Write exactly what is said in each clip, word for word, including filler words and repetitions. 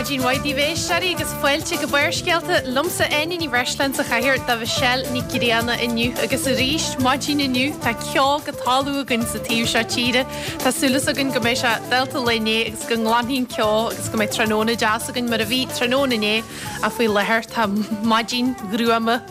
Maidin mhaith daoibh a éisteoirí agus fáilte go Barrscéalta liomsa Áine Ní Bhreisleáin sa chathaoir do Mhichelle Ní Ghrianna inniu agus arís maidin inniu tá ceo go talamh againn sa taobh seo tíre. Tá súil againn go mbeidh sé dálta an lae inné agus go nglanfaidh an ceo agus go mbeidh tráthnóna deas againn mar a bhí tráthnóna inné ach faoi láthair tá maidin ghruama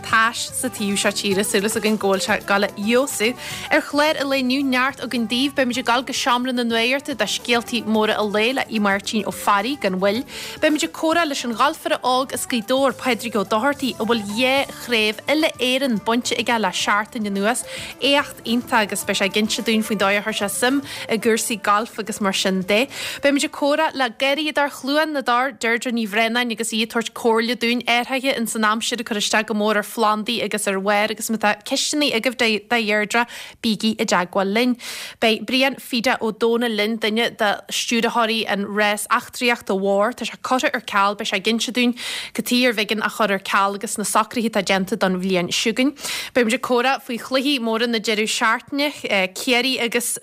tais sa taobh seo tíre súil againn go bhfuil sé ag gabháil a fheabhsú. Ar chlár an lae inniu neart againn daoibh beimid ag gabháil go seomra na nuachta do scéaltaí móra an lae le Aodh Máirtín Ó Fearraigh gan mhoill. Beimid ag comhrá leis an ghalfaire óg as Gaoth Dobhair Pádraig Ó Dochartaigh a bhfuil dhá chraobh uile Éireann bainte aige le seachtain anuas éacht iontach agus beidh sé ag inse dúinn faoin dóigh a chuir sé suim i gcúrsaí gailf agus mar sin de. Beimid ag comhrá le garraíodóir Chluain na dTor Deirdre Ní Bhraonáin agus í ag tabhairt comhairle dúinn athruithe in san aimsir ag cur isteach go mór ar phlandaí agus ar bharr agus má tá ceisteanna agaibh do Dheirdre bígí i dteagmháil linn. Beidh Brian Fida Ó Dónaill linn duine de stiúrthóirí an rás eachtraíochta mhór, tá sé curtha ar ceal beidh sé ag inse dúinn cad chuige arbh éigean é a chur ar ceal agus na socruithe atá déanta don bhliain seo chugainn. Beimid ag comhrá faoi chluichí móra na deireadh seachtaine, Ciarraí agus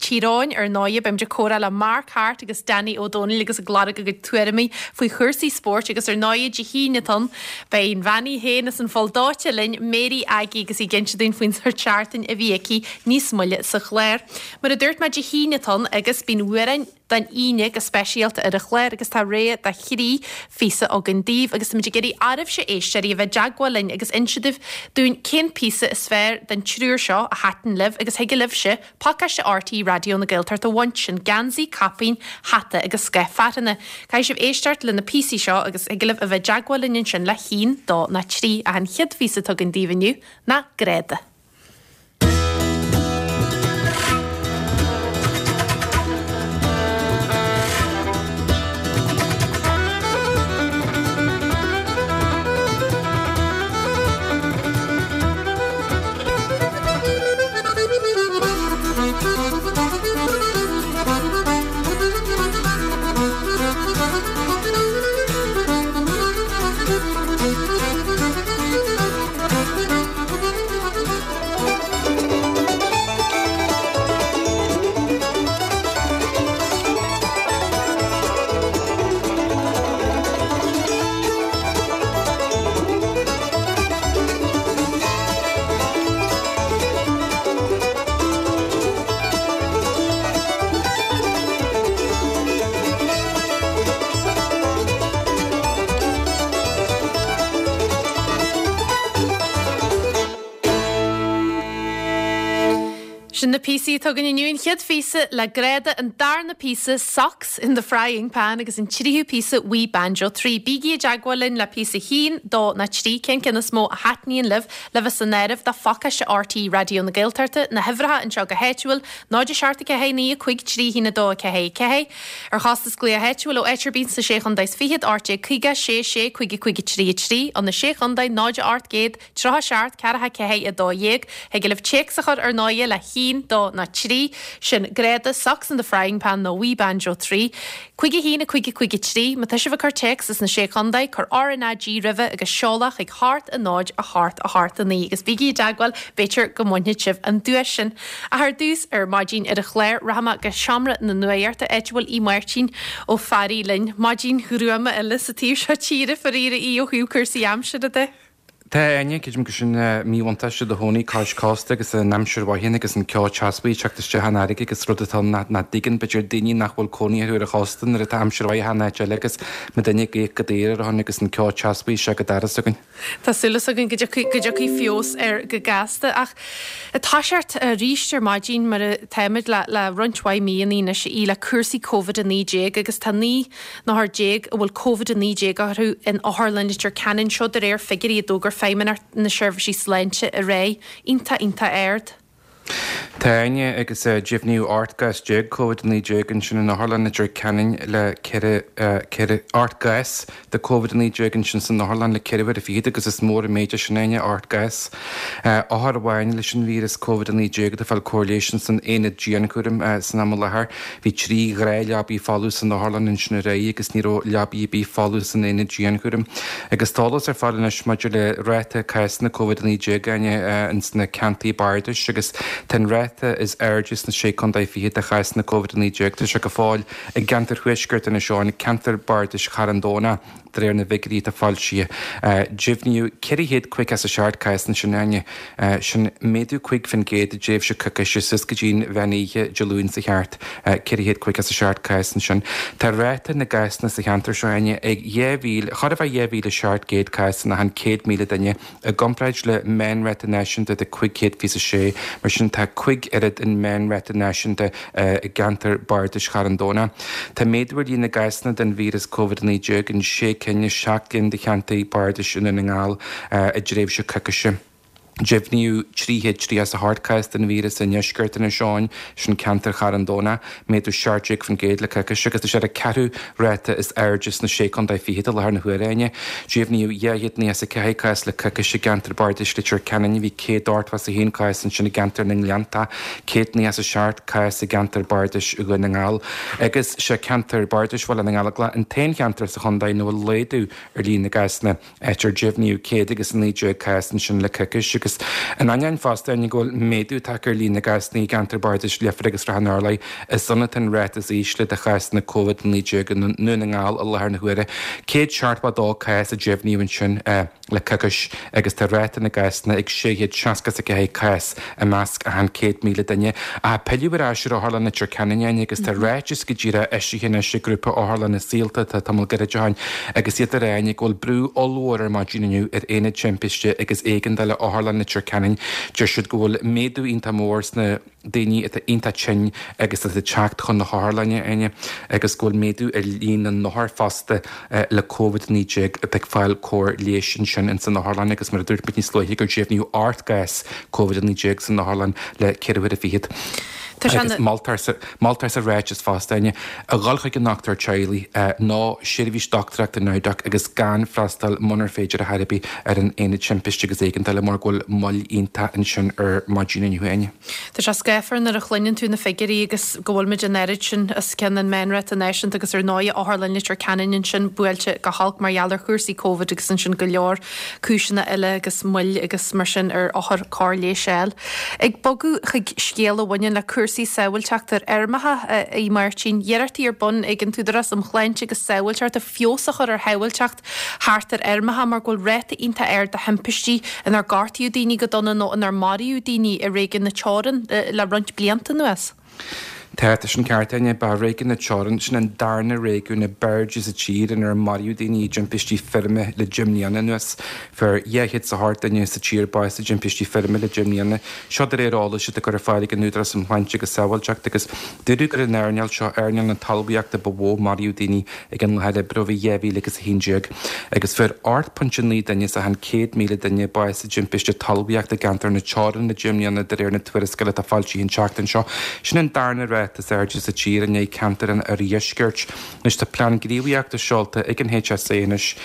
Tír Eoghain ar ndóigh, beimid ag comhrá le Mark Hart agus Danny Ó Dónaill agus ag lorg a gcuid tuairimí faoi chúrsaí spóirt agus ar ndóigh Dé hAoine atá ann beidh an bhean í féin as an Pholl Dóite linn Mary Aggie agus í ag inse dúinn faoin sórt seachtain a bhí aici níos moille sa chlár. Mar a dúirt mé Dé hAoine atá ann agus bíonn amhráin don Aoine go speisialta ar an chlár agus tá rogha de thrí phíosa againn daoibh agus táimid ag iarraidh oraibhse éisteoirí a bheith i dteagmháil linn agus inse daoibh dúinn cén píosa is fearr den triúr seo a thaitin libh agus thig libhse pacáiste RTÉ Raidió na Gaeltachta a bhaint sin geansaí, caipín, hata agus scáth fearthainne. Caithfidh sibh éisteacht le na píosaí seo agus thig libh a bheith i dteagmháil linn ansin le haon, dó ná trí ach an chéad phíosa atá againn daoibh inniu ná Greada. Sin na píosaí atá againn inniu an chéad phíosa le Greada an darna píosa Socks in the Frying Pan agus an tríú píosa Wee Banjo trí. Bígí i dteagmháil linn le píosa haon, dó ná trí cén ceann is mó a thaitníonn libh le bheith san áireamh do phacáiste RTÉ Raidió na Gaeltachta, na huimhreacha anseo go háitiúil, náid a seacht a ceathair naoi a cúig trí haon a dó a ceathair ceathair. Ar chostas glaoch áitiúil ó áit ar bith sna sé chontae is fichead, ocht déag caoga sé sé cúig a cúig a trí a trí, ó na sé chontae náid a ocht gcéad tríocha seacht ceathracha ceathair a dó dhéag. Thig libh téacs a chur ar ndóigh le haon, dó ná trí, sin Greada, Socks in the Frying Pan nó Wee Banjo trí. Cúig a haon a cúig a cúig a trí, má tá sibh ag cur téacs as na sé chontae, cuir RnaG roimhe agus seoladh chuig hocht a náid a hocht a hocht a naoi agus bígí i dteagmháil, b'fhéidir go mbainfidh sibh an duais sin. Ach ar dtús ar maidin ar an chlár, rachaidh mé go seomra na nuachta áit a bhfuil Aodh Máirtín Ó Fearraigh linn. Maidin ghruama eile sa taobh seo tíre, faraor a Aoidh ó thaobh cúrsaí aimsire de. Tá Áine, creidim gur sin míbhuntáiste do chónaí cois cósta agus an aimsir mhaith agus an ceo teaspaí ag teacht isteach an fharraige agus rud atá nach nach dtuigeann b'fhéidir daoine nach bhfuil cónaí orthu ar an chósta nuair atá aimsir mhaith in áit eile agus má duine ag íoc go daor ar a shon agus an ceo teaspaí isteach go doras againn. Tá súil againn go dtiocfaidh go dtiocfaidh feabhas air go gasta ach ag toiseacht arís ar maidin mar atáimid le le roinnt mhaith míonna anois í le cúrsaí Covid a naoi déag agus tá naoi n-othar déag a bhfuil Covid a naoi déag orthu in Otharlann Leitir Ceanainn seo de réir figiúirí a d'fhógair Feidhmeannacht na Seirbhísí Sláinte aréir. Iontach iontach ard. Tá Áine agus deimhníodh ocht gcás déag Covid a naoi déag ansin in Otharlann Leitir Ceanainn le ceithre ceithre ocht gcás de Covid a naoi déag ansin san Otharlann le ceithre uaire fichead agus is mór an méid é sin Áine, ocht gcás. Othar amháin leis an víreas Covid a naoi déag atá ag fáil cóir leighis san aonad dianchúraim san am i láthair. Bhí trí ghnáthleabaí folamh san otharlann ansin aréir agus ní raibh leabaí ar bith folamh san aonad dianchúraim. Agus tá eolas ar fáil anois maidir le ráta cásanna Covid a naoi déag Áine ins na ceantair bardais agus tá an ráta ráta is airde sna Sé Chontae Fichead de chásanna Covid a naoi déag, tá sé go fóill i gceantar thuaisceart Inis Eoghain, ceantar bardais Charn Domhnach, de réir na bhfigiúirí atá foilsithe. Deimhníodh ceithre chéad caoga is a seacht cás ansin, Áine. Sin méadú cúig faoin gcéad i dtréimhse coicíse suas go dtí'n mheán oíche Dé Luain seo thart, ceithre chéad caoga is a seacht cás ansin. Tá ráta na gcásanna sa cheantar seo, Áine, ag dhá mhíle, chóir a bheith dhá mhíle seacht gcéad cás in achan céad míle duine, i gcomparáid le meánráta náisiúnta de cúig chéad fiche a sé. Mar sin tá cúig oiread an meánráta náisiúnta i gceantar bardais Charn Domhnach. Tá méadú ar líon na gcásanna den víreas Covid a naoi déag in sé cinn as seacht gcinn de cheantair bardais i nDún na nGall i dtréimhse coicíse. Deimhníodh trí chéad tríocha is a hocht cás den víreas i ndeisceart Inis Eoghain, sin ceantar Charn Domhnach, méadú seacht déag faoin gcéad le coicís agus tá sé ar an ceathrú ráta is airde sna Sé Chontae Fichead i láthair na huaire, Áine. Deimhníodh dhá chéad nócha is a ceathair cás le coicís i gceantar bardais Leitir Ceanainn, bhí céad ochtó is a haon cás ansin i gceantar na nGleannta, céad nócha is a seacht cás i gceantar bardais Dhún na nGall agus sé ceantar bardais Bhaile na nGallóglach an t-aon cheantar sa chontae ina bhfuil laghdú ar líon na gcásanna, áit ar deimhníodh céad agus a naoi déag cás ansin le coicís agus in ainneoin fosta go bhfuil méadú tagtha ar líon na gcásanna i gceantar bardais Leifear agus Srath an Urláir, is ann atá an ráta is ísle de chásanna Covid a naoi déag i nDún na nGall i láthair na huaire. Céad seachtó a dó cás a deimhníodh ansin le coicís agus tá ráta na gcásanna ag sé chéad seasca is a ceathair cás i measc achan céad míle duine. Ach pilleadh ar ais ar Otharlann Leitir Ceanainn, Áine, agus tá ráiteas go díreach eisithe anois ag grúpa Otharlanna Saolta atá tamall gairid ó shin agus iad ag rá, Áine, go bhfuil brú ollmhór ar maidin inniu ar Aonad Timpiste agus Éigeandála Otharlann Leitir Ceanainn. Deir siad go bhfuil méadú iontach mór sna daoine atá iontach tinn agus atá ag teacht chun na hotharlainne, Áine, agus go bhfuil méadú ar líon na n-othar fosta le Covid a naoi déag atá ag fáil cóir leighis ansin ins an otharlann agus mar a dúirt muid níos luaithe gur deimhníodh ocht gcás Covid a naoi déag san otharlann le ceithre huaire fichead. Agus moltar sa, moltar sa ráiteas fosta, Áine, a dhul chuig an ndochtúir teaghlaigh nó seirbhís dochtúireachta naimhdeach agus gan freastal munar féidir ar chor ar bith ar an Aonad Timpiste agus Éigeandála mar go bhfuil moill iontach ansin ar maidin inniu, Áine. Tá sé scáfar nuair a chluineann tú na figiúirí agus go bhfuil muid an oiread sin os cionn an meánráta náisiúnta agus ar ndóigh Otharlann Leitir Ceanainn ansin buailte go holc mar gheall ar chúrsaí Covid agus ansin go leor cúiseanna eile agus moill agus mar sin ar othair cóir leighis a fháil. Ag bogadh chuig scéal a bhaineann le cúrsaí sábháilteachta ar fheirmeacha, a Mháirtín, iarrachtaí ar bun ag an tÚdarás um Shláinte agus Sábháilteacht feabhas a chur ar shábháilteacht thart ar fheirmeacha mar go bhfuil ráta iontach ard de thimpistí inar gortaíodh daoine go dona nó inar maraíodh daoine i réigiún na Teorann le roinnt blianta anuas. Tá, tá sin ceart, Áine, ba réigiún na Teorann, sin an darna réigiún ab airde sa tír inar maraíodh daoine i dtimpistí feirme le deich mbliana anuas. Fuair dhá chéad is a hocht duine sa tír bás i dtimpistí feirme le deich mbliana. Seo de réir eolais atá curtha ar fáil ag an Údarás um Shláinte agus Sábháilteacht agus dúradh gur an earnáil seo, earnáil na talmhaíochta, ba mhó maraíodh daoine ag an láthair oibre ó bhí dhá mhíle agus a haon déag agus fuair ocht pointe naoi duine as achan céad míle duine bás i dtimpiste talmhaíochta i gceantar na Teorann le deich mbliana de réir na tuarascála atá foilsithe an tseachtain seo. Sin an darna ráta is airde sa tír i ndiaidh ceantar an oirdheiscirt. Anois tá plean gníomhaíochta seolta ag an H S A anois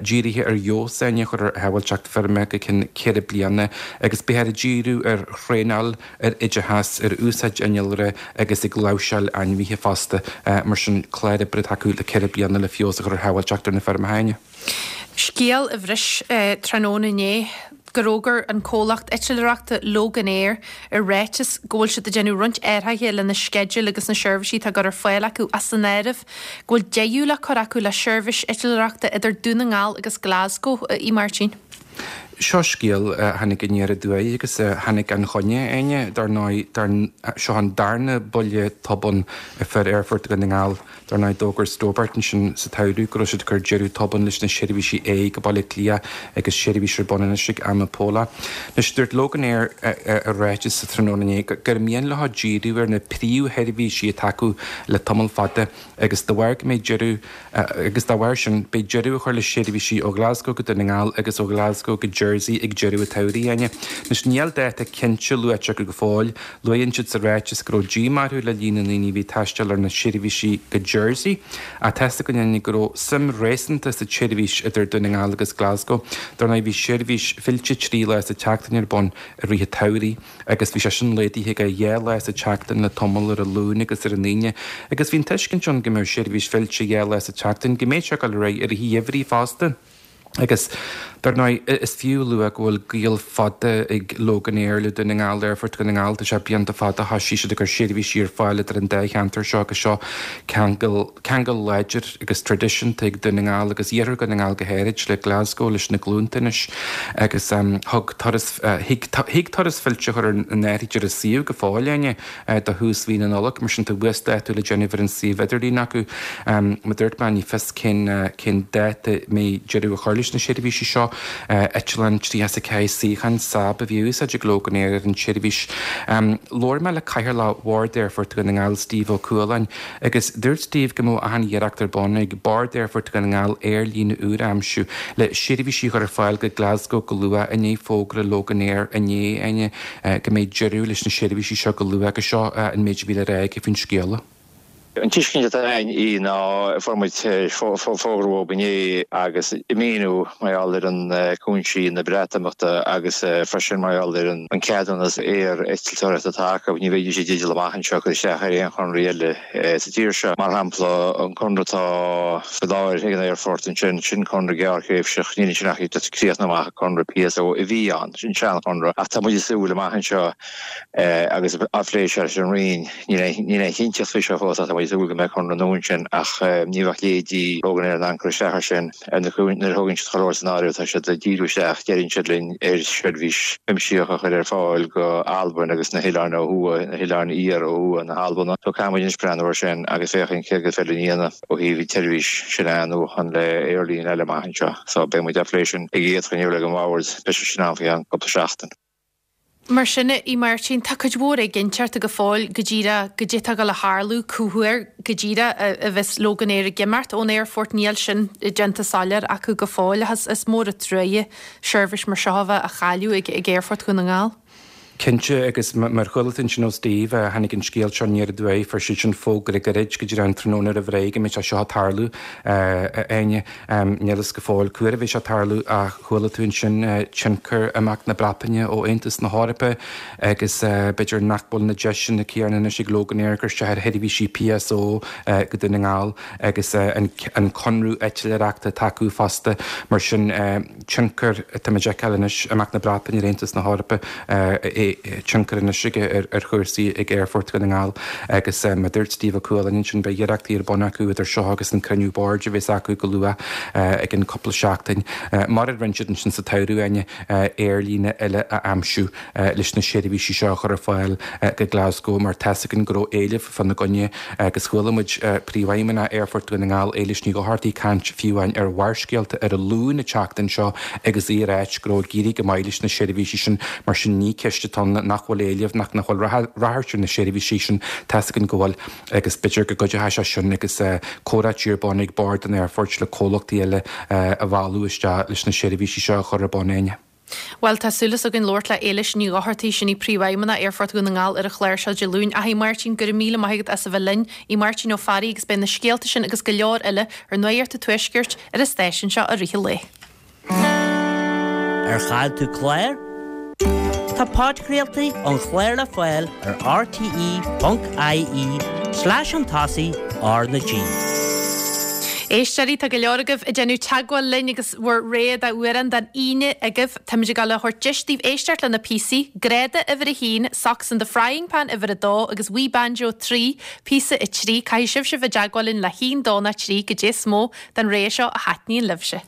dírithe ar fheabhas a chur ar shábháilteacht feirme go ceann ceithre bliana agus beifear ag díriú ar thraenáil, ar oideachas, ar úsáid innealra agus ag láimhseáil ainmhithe fosta. Mar sin clár oibre atá acu le ceithre bliana le feabhas a chur ar shábháilteacht ar na feirmeacha, Áine. Scéal a bhris tráthnóna inné gur fhógair an comhlacht eitleoireachta Loganair i ráiteas go bhfuil siad ag déanamh roinnt athruithe lena sceidil agus na seirbhísí atá á gcur ar fáil acu as san áireamh go bhfuil deireadh le cur acu le seirbhís eitleoireachta idir Dún na nGall agus Glasgow, a Mháirtín. Seo scéal a tháinig aniar aduaidh agus a tháinig gan choinne, Áine. Dar ndóigh, seo an darna buille tobann a fuair Aerfort Dhún na nGall. Dar ndóigh, d'fhógair Stobart ansin sa tsamhradh go raibh siad ag cur deireadh tobann leis na seirbhísí aghaidh go Baile Átha Cliath agus seirbhís ar bun anois ag Amapola. Anois, dúirt Loganair i ráiteas sa tráthnóna inné gur mian leo díriú ar na príomhsheirbhísí atá acu le tamall fada agus dá bharr go mbeidh deireadh agus dá bharr sin beidh deireadh á chur le seirbhísí ó Ghlasgow go Dún na nGall agus ó Ghlasgow go Jersey ag deireadh an tsamhraidh, Áine. Anois níl dáta cinnte luaite acu go fóill. Luann siad sa ráiteas go raibh díomá orthu le líon na ndaoine a bhí ag taisteal ar na seirbhísí go Jersey ach tá's againn, Áine, go raibh suim réasúnta sa tseirbhís idir Dún na nGall agus Glasgow. Dar ndóigh bhí seirbhís fillte trí lá sa tseachtain ar bun i rith an tsamhraidh agus bhí sé sin laghdaithe go dhá lá sa tseachtain le tamall ar an Luan agus ar an Aoine agus bhí an tuiscint ann go mbeadh seirbhís fillte dhá lá sa tseachtain go mbeadh sé ag dul ar aghaidh i rith an gheimhridh fosta. Agus dar ndóigh is fiú lua go bhfuil gaol fada ag Loganair le Dún na nGall Aerfort Dhún na nGall tá sé blianta fada thosaigh siad ag cur seirbhísí ar fáil idir an dá cheantar seo agus seo ceangal ceangal láidir agus traidisiúnta ag Dún na nGall agus iarthar Dhún na nGall go háirid le Glasgow leis na glúnta anois agus thug turas thig turas fillte a chur in áirithe ar a suíomh go fóill Áine do thús mhí na Nollag mar sin tá uasdátú le déanamh ar an suíomh idirlín acu. Mar a dúirt mé ní fios cén cén dáta a mbeidh deireadh a chur leis na seirbhísí seo. Eitleán tríocha is a ceathair suíochán Saab a bhí á úsáid ag Loganair ar an tseirbhís. Labhair mé le Cathaoirleach Bhord Aerfort Dhún na nGall, Steve Ó Cualáin, agus dúirt Steve go mbeadh achan iarracht ar bun ag Bord Aerfort Dhún na nGall aerlíne úr a aimsiú le seirbhísí a chur ar fáil go Glasgow go luath i ndiaidh fógra Loganair inné, Áine, go mbeidh deireadh leis na seirbhísí seo go luath agus seo an méid a bhí le rá aige faoin scéala. An tuiscint atá againn í ná fuair muid fógra uathu inné agus ag míniú mar gheall ar an cúinsí na Breatimeachta agus freisin mar gheall ar an ceadúnas aer-eitleoireachta atá acu, ní bheidís i dteideal amach anseo cur isteach ar aon chonradh eile sa tír seo. Mar shampla, an conradh atá faoi láthair ag an aerfort ansin, sin conradh gearrthréimhseach, níl ansin ach ag críochnú amach an conradh PSO a bhí ann, sin seanchonradh. Ach tá muid ag súil amach anseo agus á phlé seo leis an Roinn, níl aon chinnteacht faoi seo fós ach tá muid ag súil go mbeidh conradh nua ansin ach ní bheadh leithéidí Loganair in ann cur isteach air sin. Nuair a thógann siad chuile shórt san áireamh tá siad ag díriú isteach, deireann siad linn, ar sheirbhís chuimsitheach a chur ar fáil go Albain agus na hoileáin ó thuaidh, na hoileáin iar ó thuaidh na hAlban. So caithfidh muid anois breathnú air sin agus féachaint céard is féidir linn a dhéanamh ó thaobh an tseirbhís sin a athnuachan le aerlíne eile amach anseo. So beidh muid á phlé sin ag an gcéad chruinniú ag an mbord, beidh sé sin ann faoi cheann cúpla seachtain. Mar sin, a Mháirtín, tá cuid mhór éiginnteachta go fóill go díreach goidé tá ag gabháil a tharlú, cá huair go díreach a bheas Loganair ag imeacht ón aerfort, níl sin déanta soiléir acu go fóill ach is mór an truaighe seirbhís mar seo a bheith á chailleadh ag Aerfort Dhún na nGall. Cinnte, agus mar chuala tú ansin ó Steve, tháinig an scéal seo aniar aduaidh, fuair siad sin fógra gairid go dtí an tráthnóna roimh ré go mbeidh sé seo ag tarlú, a Áine. Níl fhios go fóill cá huair a bheidh sé ag tarlú ach chuala tú ansin tionchar imeacht na Breataine ó Aontas na hEorpa agus b'fhéidir nach bhfuil na deiseanna céanna anois ag Loganair cur isteach ar sheirbhísí PSO go Dún na nGall agus an conradh eitleoireachta atá acu fosta. Mar sin, tionchar atá muid a fheiceáil anois, imeacht na Breataine ar Aontas na hEorpa, tionchar anois aige ar chúrsaí ag Aerfort Dhún na nGall agus mar a dúirt Steve Ó Cualáin ansin beidh iarrachtaí ar bun acu idir seo agus an cruinniú boird a bheas acu go luath i gceann cúpla seachtain, mar a rinne siad ansin sa tsamhradh, Áine, aerlíne eile a aimsiú leis na seirbhísí seo a chur ar fáil go Glasgow mar tá's againn go raibh éileamh fána gcoinne agus chuala muid Príomhfheidhmeannach Aerfort Dhún na nGall, Éilis Ní Dhochartaigh, ag caint fiú amháin ar Bharrscéalta ar an Luan an tseachtain seo agus í ag ráit go raibh ag éirí go maith leis na seirbhísí sin mar sin ní ceist atá ann nach bhfuil éileamh nach nach bhfuil ráchairt ar na seirbhísí sin tá's againn go bhfuil agus b'fhéidir go gcuideoidh sé sin agus comhráití ar bun ag Bord an Aerfoirt le comhlachtaí eile a mhealladh isteach leis na seirbhísí seo a chur ar bun Áine. Bhuel, tá súil againn labhairt le Éilis Ní Dhochartaigh, sin í Príomhfheidhmeannach Aerfort Dhún na nGall ar an chlár seo Dé Luain. Ach a Mháirtín, go raibh míle maith agat as a bheith linn. Í Máirtín Ó Fearraigh agus beidh na scéalta sin agus go leor eile ar Nuacht an Tuaiscirt ar an stáisiún seo i rith an lae. Ar chaill tú clár? Tá podchraoltaí an chláir le fáil ar rte ponc ie slash an tosaigh R na G. Éisteoirí, tá go leor agaibh ag déanamh teagmháil linn agus bhur rogha d'amhrán don Aoine agaibh. Táimid ag dul a thabhairt deis daoibh éisteacht le na píosaí, Greada uimhir a haon, Socks in the Frying Pan uimhir a dó agus Wee Banjo trí, píosa a trí. Caithfidh sibhse bheith i dteagmháil linn le haon, dó nó trí goidé is mó den rogha seo a thaitníonn libhse.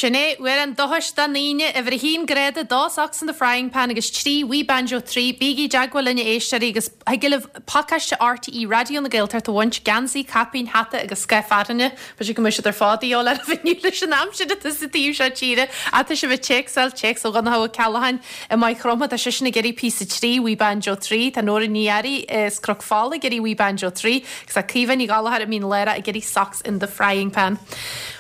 Sin é, uair an dóchais don Aoine, uimhir a haon grád a dó Socks in the Frying Pan agus trí We Banjo trí. Bígí i dteagmháil linn a éisteoirí agus thig libh pacáiste RTÉ Raidió na Gaeltachta a bhaint, geansaí, caipín, hata agus scáth fearthainne. B'fhéidir go mbeidh siad ar fad de dhíobháil oraibh inniu leis an aimsir atá sa taobh seo tíre. Ach tá sibh ag téacsáil, téacs ó Dhonncha Ó Ceallacháin i Maigh Chromtha, tá seisean ag iarraidh píosa trí, We Banjo trí. Tá Nóra Ní Fhearraigh as Cnoc Fola ag iarraidh We Banjo trí agus tá Caoimhe Ní Ghallchóir i Mín Lárach ag iarraidh Socks in the Frying Pan.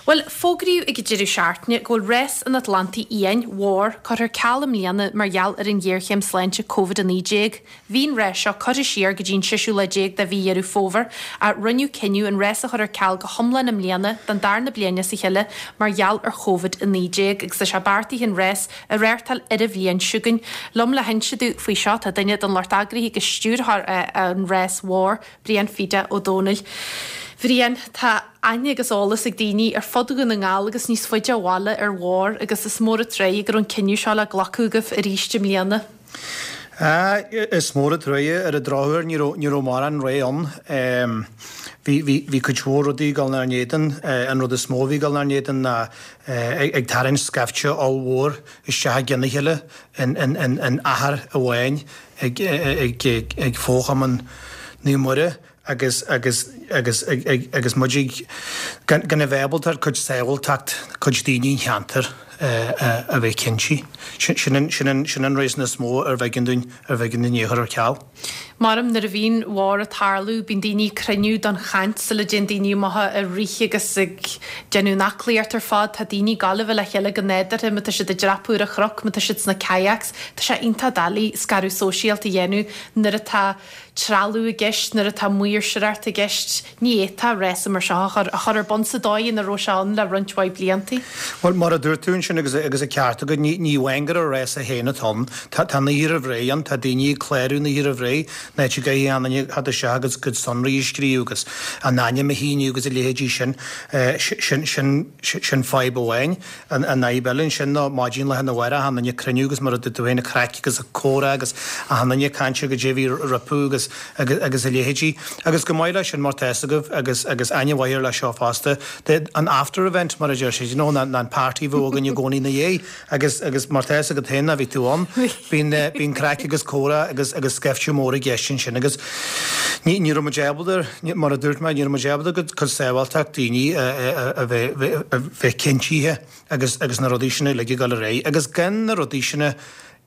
Bhuel, fógraíodh ag an deireadh seachtaine go bhfuil Rás an Atlantaigh Fhiáin mhór curtha ar ceal i mbliana mar gheall ar an ghéarchéim sláinte Covid a naoi déag. Bhí an rás seo curtha siar go dtí an seisiú lá déag de mhí Dheireadh Fómhair ach rinneadh cinneadh an rás a chur ar ceal go hiomlán i mbliana don darna bliain as a chéile mar gheall ar Covid a naoi déag agus tá sé beartaithe an rás a reáchtáil ar an bhliain seo chugainn. Liom le hinse domh faoi seo tá duine den lucht eagraithe agus stiúrthóir an rás mhór, Brian Pheda Ó Dónaill. Bhriain, tá aithne agus eolas ag daoine ar fud Dhún na nGall agus níos faide ó bhaile ar Mhór agus is mór an truaighe go raibh an cinneadh seo le glacadh agaibh arís i mbliana. Is mór an truaighe ar an drochuair ní raibh ní raibh mórán rogha ann. Bhí bhí bhí cuid mhór rudaí ag dul inár n-éadan. An rud is mó a bhí ag dul inár n-éadan ná ag tarraingt scaifte ollmhór isteach i gcionn a chéile in in in in achar amháin ag ag ag Fo-Chumann Naomh Muire agus agus agus ag ag agus muid ag gan gan a bheith ábalta ar cuid sábháilteacht cuid daoine an cheantair a bheith cinnte. Sin an sin an sin an réasún is mó ar bh'éigean dúinn ar bh'éigean dúinn é a chur ar ceal. Maram nuair a bhíonn Mhór ag tarlú bíonn daoine ag cruinniú don chaint sula dtéann daoine amach ag rith agus ag déanamh an aclaíocht ar fad. Tá daoine ag gabháil a bheith le chéile go nádúrtha má tá siad ag dreapadh ar an chnoc, má tá siad sna kayaks. Tá sé iontach doiligh scaradh sóisialta a dhéanamh nuair atá trealamh i gceist, nuair atá maoirseoireacht i gceist. Ní fhéadfá rása mar seo a chur a chur ar bun sa dóigh ina raibh sé ann le roinnt mhaith blianta. Bhuel, mar a dúirt tú ansin agus agus an ceart agat, ní ní amháin gur an rása féin atá ann, tá tá an oíche roimh ré ann, tá daoine ag clárú an oíche roimh ré, an áit a gcaithfidh aon duine theacht isteach agus a gcuid sonraí a scríobh agus a n-ainm a shíniú agus a leithéidí sin. Sin sin sin fadhb amháin. An an fhadhb eile ansin ná maidin lá arna mhárach achan duine ag cruinniú agus mar a dúirt tú féin, craic agus comhrá agus achan duine ag caint ar goidé a bhí rompu agus agus agus a leithéidí. Agus chomh maith leis sin mar tá fhios agaibh agus agus aithne mhaith air leis seo fosta, the an after event mar a deir siad, you know, ná an party a bheadh againn i gcónaí ina dhiaidh agus agus mar tá fhios agat féin ná bhí tú ann, bíonn bíonn craic agus comhrá agus agus scaifte mór i gceist ansin agus ní ní raibh muid ábalta, mar a dúirt mé, ní raibh muid ábalta go cuid sábháilteacht daoine a bheith a bheith cinntithe agus agus na rudaí sin uilig ag dul ar aghaidh agus gan na rudaí sin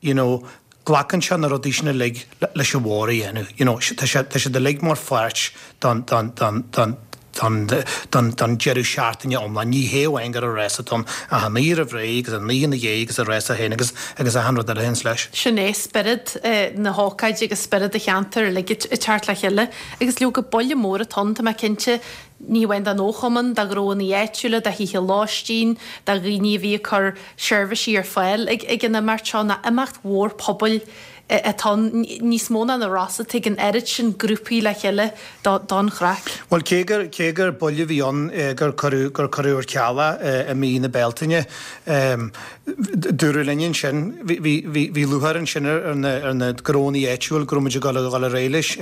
you know, glacann sé na rudaí sin uilig leis an mhór a dhéanamh. You know, tá sé tá siad uilig mar pháirt don don don don don don don deireadh seachtaine iomlán. Ní hé amháin gur an rása atá ann ach an oíche roimh ré agus an oíche ina dhiaidh agus an rása féin agus agus achan rud eile a théanns leis. Sin é spiorad na hócáide agus spiorad an cheantair uilig ag teacht le chéile agus leoga buille mór atá ann, tá mé cinnte, ní hamháin don fhochumann, do ghnóanna áitiúla, do thithe lóistín, do dhaoine a bhí ag cur seirbhísí ar fáil ag ag an imeacht seo, ná imeacht mhór pobail atá ann, níos mó ná na rása, tagann oiread sin grúpaí le chéile don chraic. Bhuel, cé gur, cé gur buille a bhí ann gur cuireadh, gur cuireadh ar ceal é i mí na Bealtaine, dúradh linn ansin, bhí, bhí, bhí, bhí lúcháir ansin ar na, ar na gnóanna áitiúil go raibh muid ag dul a dhul ar aghaidh leis,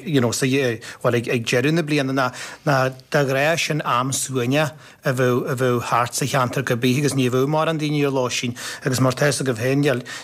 you know, sa, bhuel, ag, ag deireadh na bliana ná, ná de ghnáth sin am suaimhneach a bheadh, a bheadh thart sa cheantar go bith agus ní bheadh mórán daoine ar lóistín agus mar tá fhios agaibh féin,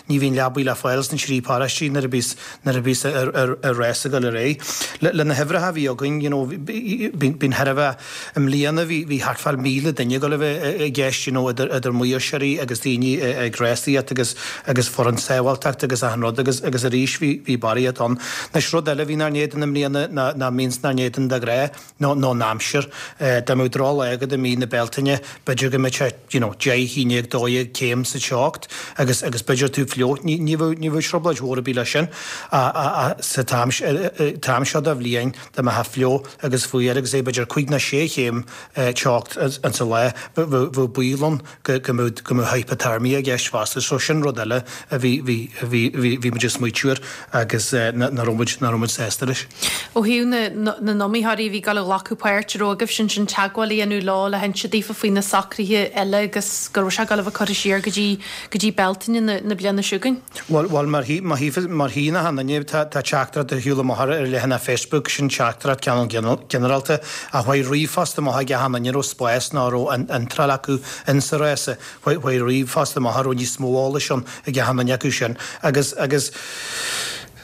ní bhíonn leabaí le fáil sna trí paróistí nuair a bhíos, nuair a bhíos an rás ag dul ar aghaidh. Le, le na huimhreacha a bhí againn, you know, bíonn, bíonn thar a bheith, i mbliana bhí, bhí thart fá míle duine ag dul a bheith i gceist, you know, idir, idir maoirseoirí agus daoine ag rásaíocht agus, agus foireann sábháilteachta agus achan rud agus, agus arís bhí, bhí barraíocht ann. Anois rud eile a bhí inár n-éadan i mbliana ná, ná mbíonns inár n-éadan de ghnáth, nó nó an aimsir. Dá mbeadh drochlá agat i mí na Bealtaine, b'fhéidir go mbeadh sé, you know, deich, haon déag, dó dhéag céim sa teocht agus agus b'fhéidir tú fliuch. Ní ní bheadh ní bheadh trioblóid mhór ar bith leis sin ach sa t-am t-am seo de bhliain dá mbeifeá fliuch agus fuar agus é b'fhéidir cúig nó sé chéim teocht insa lá, bheadh bheadh baol ann go go mbeadh go mbeadh hypothermia i gceist fosta. So sin rud eile a bhí bhí bhí bhí bhí muid ag smaoitiú air agus nach raibh muid nach raibh muid sásta leis. Ó thaobh na na n-iomaitheoirí a bhí ag dul a ghlacadh páirt, an raibh agaibhse ansin teagmháil a dhéanamh leo le hinse daofa faoi na socruithe eile agus go raibh sé ag dul a bheith curtha siar go dtí go dtí Bealtaine na na bliana seo chugainn? Bhuel, bhuel mar thí mar thí mar thí na han-duine tá tá teachtaireacht ar shiúl amach ar ar leathanach Facebook, sin teachtaireacht cineál ginearálta ach chuaigh ríomhphost amach ag achan duine a raibh spás nó a raibh an iontráil acu insa rása, chuaigh chuaigh ríomhphost amach a raibh níos mó eolais ann ag achan duine acu sin agus agus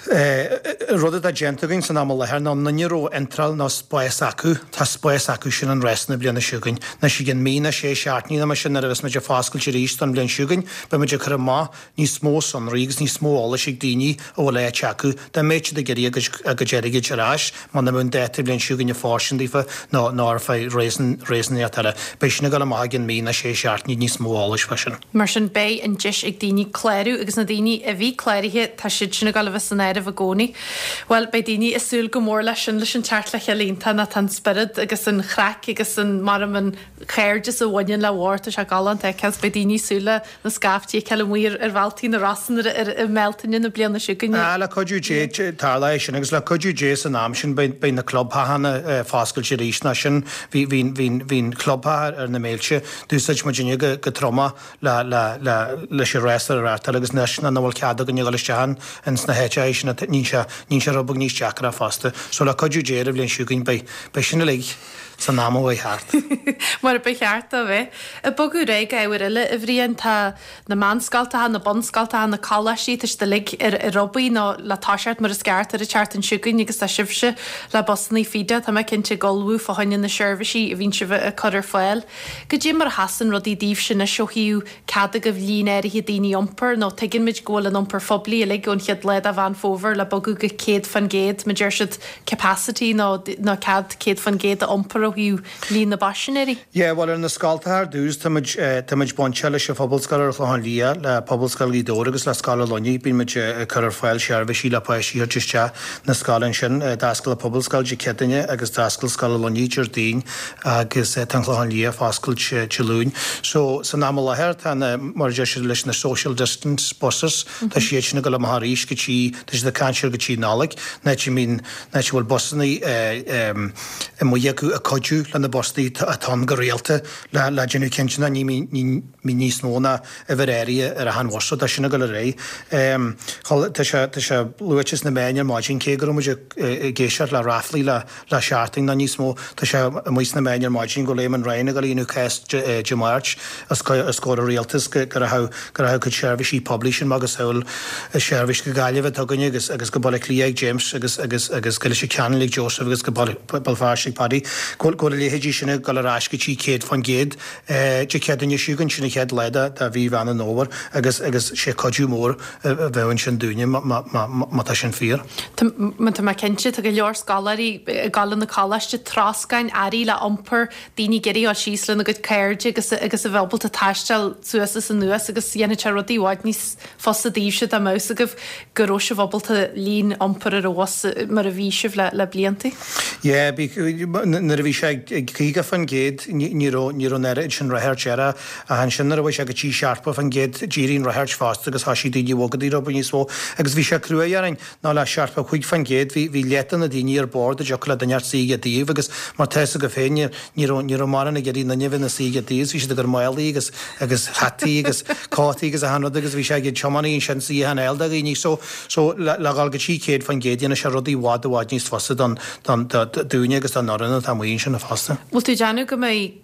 Rud atá déanta againn san am i láthair ná an duine a raibh iontráil nó spás acu, tá spás acu sin an rás na bliana seo chugainn. Anois i gcionn mí nó sé seachtainí nó mar sin nuair a bheas muid ag foscailt arís don bhliain seo chugainn, beidh muid ag cur amach níos mó sonraí agus níos mó eolais ag daoine a bhfuil áit acu, dá mbeadh siad ag iarraidh a gcuid a gcuid airgid ar ais muna mbeadh an dáta bhliain seo chugainn ag fóirstean daofa nó nó ar feadh réasúnaíocht eile. Beidh sin ag dul amach i gcionn mí nó sé seachtainí níos mó eolais fá sin. Mar sin beidh an deis ag daoine clárú agus na daoine a bhí cláraithe tá siad sin ag dul a bheith san áireamh i gcónaí. Bhuel beidh daoine ag súil go mór leis sin leis an teacht le chéile iontach ná tá an spiorad agus an chraic agus an maram an cairdeas a bhaineann le bharr tá sé galánta a fheiceáil 's beidh daoine ag súil le na scaiftí a fheiceáil amuigh ar ar bhealtaí na Rosann ar ar i mBealtaine na bliana seo chugainn. Ah le cuidiú Dé tarlóidh sin agus le cuidiú Dé san am sin beidh beidh na clubtheachanna foscailte arís ná sin bhí bhí bhí bhí an clubtheach ar na Méilte d'úsáid muid inniu go go troma le le le leis an rás a reáchtáil agus anois nach bhfuil cead againn a dhul isteach ins na háiteacha sin níl sé níl sé rud beag níos deacra fosta. So le cuidiú Dé ar an bhliain seo chugainn beidh beidh sin uilig san am a bheidh thart. Mar a ba cheart dó bheith. Ag bogadh ar aghaidh go ábhar eile, a Bhriain, tá na meánscoltacha, na bunscoltacha, na coláistí, tá siad uilig ar ar obair nó le toiseacht mar is ceart ar an tseachtain seo chugainn agus tá sibhse le busanna Feeda, tá mé cinnte ag ullmhú fá choinne na seirbhísí a bhíonn sibh ag cur ar fáil. Goidé mar a sheasann rudaí daoibhse anois ó thaobh cead agaibh líon áirithe daoine a iompar nó tuigeann muid go bhfuil an iompar phoiblí uilig ón chéad lá de Mheán Fómhair le bogadh go céad fan gcéad, mar deir siad capacity nó nó cead céad fan gcéad a iompar ó thaobh líon na bpaisinéirí. Yeah, bhuel ar na scoltacha ar dtús tá muid tá muid bainteach leis an Phobalscoil ar an Chlochán Liath, le Pobalscoil Ghaoth Dobhair agus le Scoil an Luinnigh. Bíonn muid ag cur ar fáil seirbhísí le páistí a thabhairt isteach na scoile ansin. D'oscail an Phobalscoil Dé Céadaoine agus d'oscail Scoil an Luinnigh Déardaoin agus tá an Clochán Liath ag foscailt Dé Luain. So san am i láthair tá na, mar a deir siad leis na social distance buses, tá siad sin ag dul amach arís go dtí, tá siad ag caint ar go dtí Nollaig, an áit a mbíonn, an áit a bhfuil busanna amuigh acu ag cuidiú le na busanna atá ann go rialta le le déanamh cinnte ná ní mbíonn níos mó ná uimhir áirithe ar achan bhus. So tá sin ag dul ar aghaidh. Tá sé tá sé luaite sna meáin ar maidin cé go raibh muid ag éisteacht le ráflaí le le seachtain nó níos mó, tá sé amuigh sna meáin ar maidin go bhfuil Eamon Ryan ag dul a dhéanamh cás Dé Máirt os comhair an rialtais go rachadh go rachadh cuid seirbhísí poiblí sin macasamhail seirbhís go Gaillimh atá againne agus agus go Baile Átha Cliath ag James agus agus agus go Leitir Ceanainn ag Joseph agus go Béal Feirste ag Paddy go bhfuil a leithéidí sin ag dul ar ais go dtí céad faoin gcéad Dé Céadaoine seo chugainn, sin an chéad lá de de mhí Mheán an Fhómhair agus agus sé cuidiú mór a bheadh ansin dúinne má tá sin fíor. Tá tá mé cinnte, tá go leor scoláirí ag dul chun na coláiste, troscáin, earraí le iompar, daoine ag iarraidh dul síos lena gcuid cairde agus agus a bheith ábalta taisteal suas is anuas agus dhéanfadh sé rudaí i bhfad níos fusa daoibhse dá mbeadh fhios agaibh go raibh sibh ábalta líon iompar ar an bhus mar a bhí sibh le le blianta. Yeah, bhí nuair a bhí sé ag caoga faoin gcéad ní raibh ní raibh an oiread sin ráchairt air ach ansin nuair a bhí sé go dtí seachtó faoin gcéad d'éirigh an ráchairt fosta agus thoisigh daoine a bhogadh rud beag níos mó agus bhí sé cruaidh orainn ná le seachtó cúig faoin gcéad bhí bhí leath de na daoine ar bord a dtiocfadh le duine inteacht suí ag a dtaobh agus mar tá fhios agaibh féin ní ní raibh ní raibh mórán ag iarraidh duine a bheith ina suí ag a dtaobh bhí siad ag cur málaí agus agus hataí agus cótaí agus achan rud agus bhí sé ag tiománaí ansin suíochán a fháil do dhaoine so so le le dhul go dtí céad faoin gcéad dhéanadh sé rudaí i bhfad i bhfad níos fusa don don do dúinne agus don fhoireann atá amuigh ansin fosta. Bhfuil tú ag déanamh go mbeidh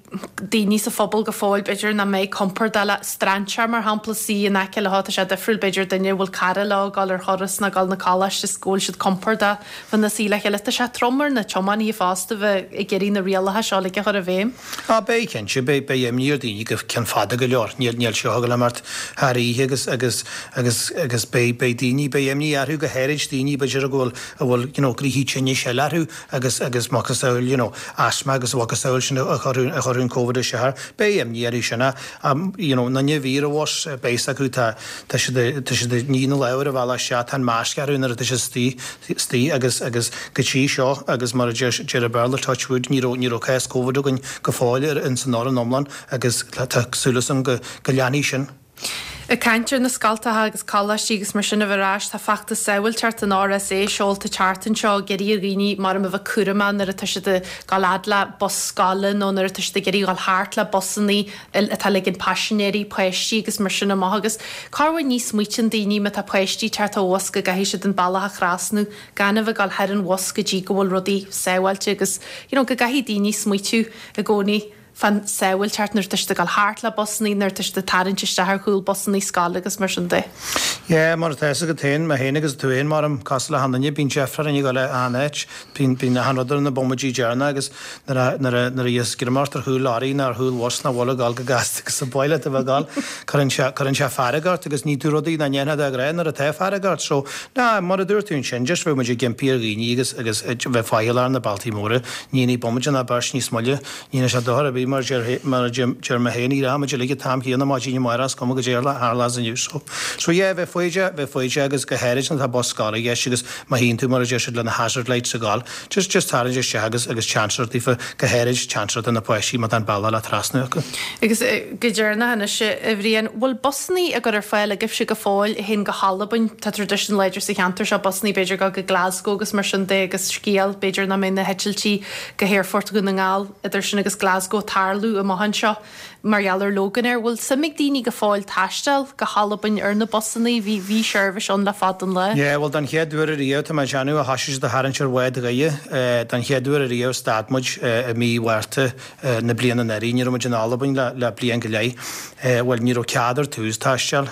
daoine sa phobal go fóill, b'fhéidir, nach mbeidh compordach le strainséir, mar shampla, suí in aice leo, tá sé difriúil, b'fhéidir, duine a bhfuil cara leo ag dul ar thuras nó ag dul 'na coláiste is go bhfuil siad compordach bheith ina suí le chéile. Tá sé trom ar na tiománaithe fosta bheith ag iarraidh na rialacha seo uilig a chur i bhfeidhm. Á, beidh, cinnte, beidh, beidh imní ar dhaoine go ceann fada go leor. Níl, níl seo ag dul imeacht thar oíche agus, agus, agus, agus beidh, beidh daoine, beidh imní orthu, go háirid daoine, b'fhéidir, a bhfuil, a bhfuil, you know, gnoithí tinnis eile orthu agus, agus macasamhail, you know, asthma agus a mhacasamhail sin a chuir, a chuir an Covid isteach air. Beidh imní orthu sin ach, you know, na daoine a bhí ar an bhus, beidh fhios acu, tá, tá siad, tá siad ag ní na lámh ar an bhealach isteach, tá an masc orthu nuair atá siad istigh, istigh agus, agus go dtí seo agus mar a deir, deir an Béarla touch wood, ní raibh, ní raibh cás Covid againn go fóill ar, ins an fhoireann iomlán agus tá súil agam go, go leanfaidh sin. Ag caint ar na scoltacha agus coláistí agus mar sin a bheith ar ais, tá feachtas sábháilteachta an RSA seolta an tseachtain seo ag iarraidh ar dhaoine mar a bheith cúramach nuair atá siad ag dul fhad le bus scoile nó nuair atá siad ag iarraidh dul thart le busanna atá ag ligean paisinéirí, páistí agus mar sin amach agus corruair ní smaoitíonn daoine má tá páistí thart ar bhus go gcaithfidh siad an bealach a thrasnú gan a bheith ag dul thar an bhus go dtí go bhfuil rudaí sábháilte agus you know, go gcaithfidh daoine smaoitiú i gcónaí fán sábháilteacht nuair atá siad ag dul thart le busanna nuair atá siad ag tarraingt isteach ar chúl busanna scoile agus mar sin de. Yeah, mar atá agat féin, mé féin agus tú féin mar am cosúil le achan duine, bíonn deifir orainn ag dul achan áit, bíonn bíonn achan rud ar na bomaidí deireanacha agus nuair a nuair a nuair a bhíos greim ort ar chúl lorry nó ar chúl bhus nach bhfuil ag dul go gasta agus sa bhaile atá ag dul, cuireann sé cuireann sé fearg ort agus ní tú rudaí nach ndéanfá de ghnáth nuair atá fearg ort. So, ná, mar a dúirt tú ansin, just bheadh muid ag impí ar dhaoine agus agus bheith faichilleach ar na bealtaí móra, ní ní bomaide ná beirt níos moille, ní dhéanfaidh sé dochar ar bith mar mar a deir mé féin, ní rachaimid uilig an t-am céanna maidin amárach is cuma goidé a tharlós inniu. So, so yeah, bheith foighdeach, bheith foighdeach agus go háirid nuair atá bus scoile i gceist agus má tchíonn tú mar a deir siad le na hazard lights ag gabháil, just, just tarraingt isteach agus, agus chance a thabhairt daofa, go háirid chance a thabhairt do na páistí má tá an bealach le trasnú acu. Agus go deireanach anois, a Bhriain, bhfuil busannaí á gcur ar fáil agaibhse go fóill a théann go hAlbain? Tá traidisiún láidir sa cheantar seo busannaí b'fhéidir go go Glasgow agus mar sin de agus scéal b'fhéidir nach mbeidh na heitiltí go hAerfort Dhún na nGall idir sin agus Glasgow ag tarlú amach anseo mar gheall ar Loganair. Bhfuil suim ag daoine go fóill taisteal go hAlbain ar na busannaí? Bhí bhí seirbhís ann le fada an lá. Yeah, bhuel don chéad uair ariamh tá mé ag déanamh a thoisigh siad a tharraingt ar bhád Dhoire. Don chéad uair ariamh stad muid i mí Mhárta na bliana anuraidh. Ní raibh muid in Albain le le bliain go leith. Bhuel ní raibh cead ar tús taisteal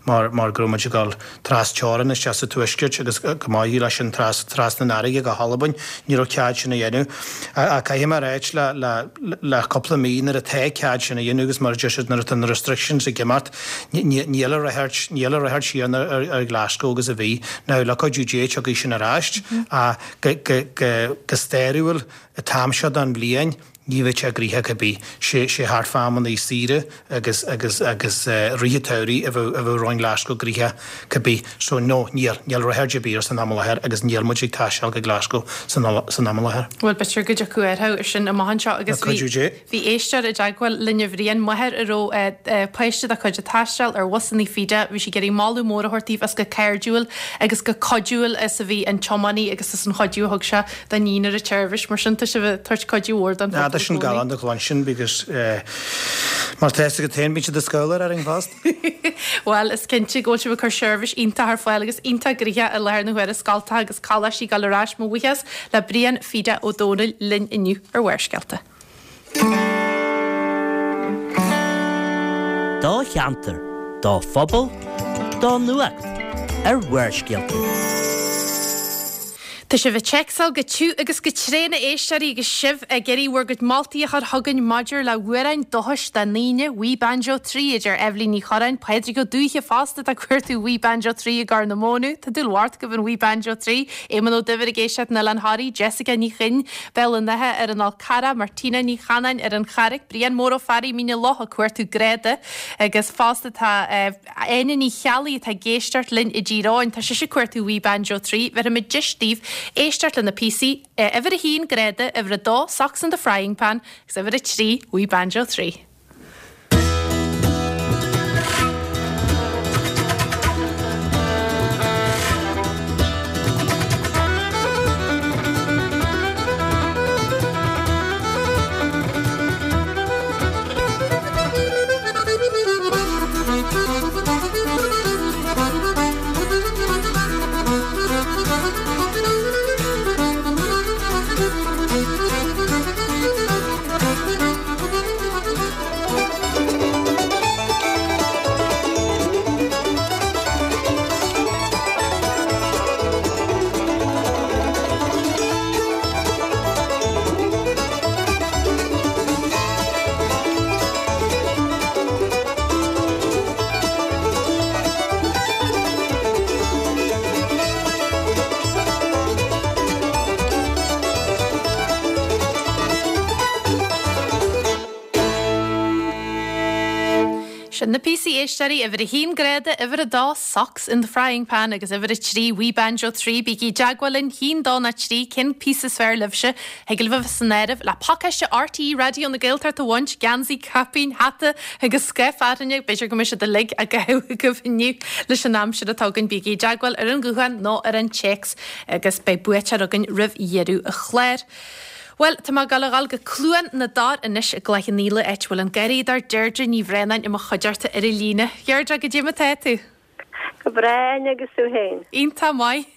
mar mar go raibh muid ag dul tras teorann isteach sa tuaisceart agus go maith leis sin tras trasna an fharraige go hAlbain. Ní raibh cead sin a dhéanamh. Ach caithfidh mé a ráit le le le cúpla mí nuair atá cead sin a dhéanamh agus mar a deir siad nuair atá na restrictions ag imeacht níl a ráchairt níl a ráchairt chéanna ar ar Glasgow agus a bhí. Now le cuidiú Dé tiocfaidh sin ar ais ach go go go go stairiúil an t-am seo den bhliain ní bheidh sé gnoitheach ar bith. Sé sé thart fá amannaí saoire agus agus agus rith an tsamhraidh a bheadh a bheadh roinn Glasgow gnoitheach cibé. So no, níl, níl ráchairt ar bith air san am i láthair agus níl muid ag taisteal go Glasgow san san am i láthair. Bhuel b'fhéidir go dtiocfaidh athrú ar sin amach anseo agus Le cuidiú Dé. bhí éisteoir i dteagmháil linn a Bhriain, máthair a raibh páiste dá cuid ag taisteal ar bhusannaí Fida, bhí sí ag iarraidh moladh mór a thabhairt daoibh as go cairdiúil agus go cuidiúil is a bhí an tiománaí agus as an chuidiú a thug sé dá níon ar an tseirbhís. Mar sin tá sibh ag tabhairt cuidiú mhór don Tá phobal i sin gcónaí. galánta a chluinstin because mar tá a fhios agat féin bíonn siad ag scaoileadh orainn fosta. Bhuel, is cinnte go bhfuil sibh ag cur seirbhís iontach ar fáil agus iontach gnoitheach i láthair na huaire scoltacha agus coláistí ag dul ar ais mo bhuíochas le Brian Fida Ó Dónaill linn inniu ar Bharrscéalta. Do cheantar, do phobal, do nuacht ar Bharrscéalta. Tá sibh ag téacsáil go tiubh agus go tréan a éisteoirí agus sibh ag iarraidh bhur gcuid moltaí a chur chugainn maidir le hamhráin dúchais do ndaoine, Wee Banjo trí a deir Eibhlín Ní Chorráin, Pádraig Ó Dúiche fosta atá ag cuartú Wee Banjo trí i gCorr na Móna, Tá dúil mhór agaibh in Wee Banjo trí, Éamonn Ó Duibhir ag éisteacht in Oileán Thoraí, Jessica Ní Chuinn, Béal an Átha ar an Fhál Carrach, Martina Ní Chanáin ar an Charraic, Brian Mór Ó Fearraigh, Mín na Loch ag cuartú Greada agus fosta tá Áine Ní Cheallaigh atá ag éisteacht linn i dTír Eoghain, tá sise ag cuartú Wee Banjo trí, bhéarfaimid deis daoibh éisteacht le na píosaí uimhir a haon Greada, uimhir a dó Socks in the Frying Pan agus uimhir a trí Wee Banjo trí. Sin na píosaí éisteoirí uimhir a haon Greada, uimhir a dó Socks in the Frying Pan agus uimhir a trí Wee Banjo trí. Bígí i dteagmháil linn haon dó náid trí cén píosa is fearr libhse. Thig libh a bheith san áireamh le pacáiste RTÉ Raidió na Gaeltachta a bhaint, geansaí, caipín, hata agus scoth fearthainne, b'fhéidir go mbeidh siad uilig á gcaitheamh agaibh inniu leis an aimsir atá againn. Bígí i dteagmháil ar an ghuthán nó ar an téacs agus beidh buaiteoir againn roimh dheireadh an chláir. Bhuel, tá mé ag dul a dhul go Cluain na dTor anois i gCloich Cheann Fhaola, áit a bhfuil an garraíodóir Deirdre Ní Bhraonáin i mo chuideachta ar an líne. Deirdre, goidé mar atá tú? Go breá agus tú féin. Iontach maith.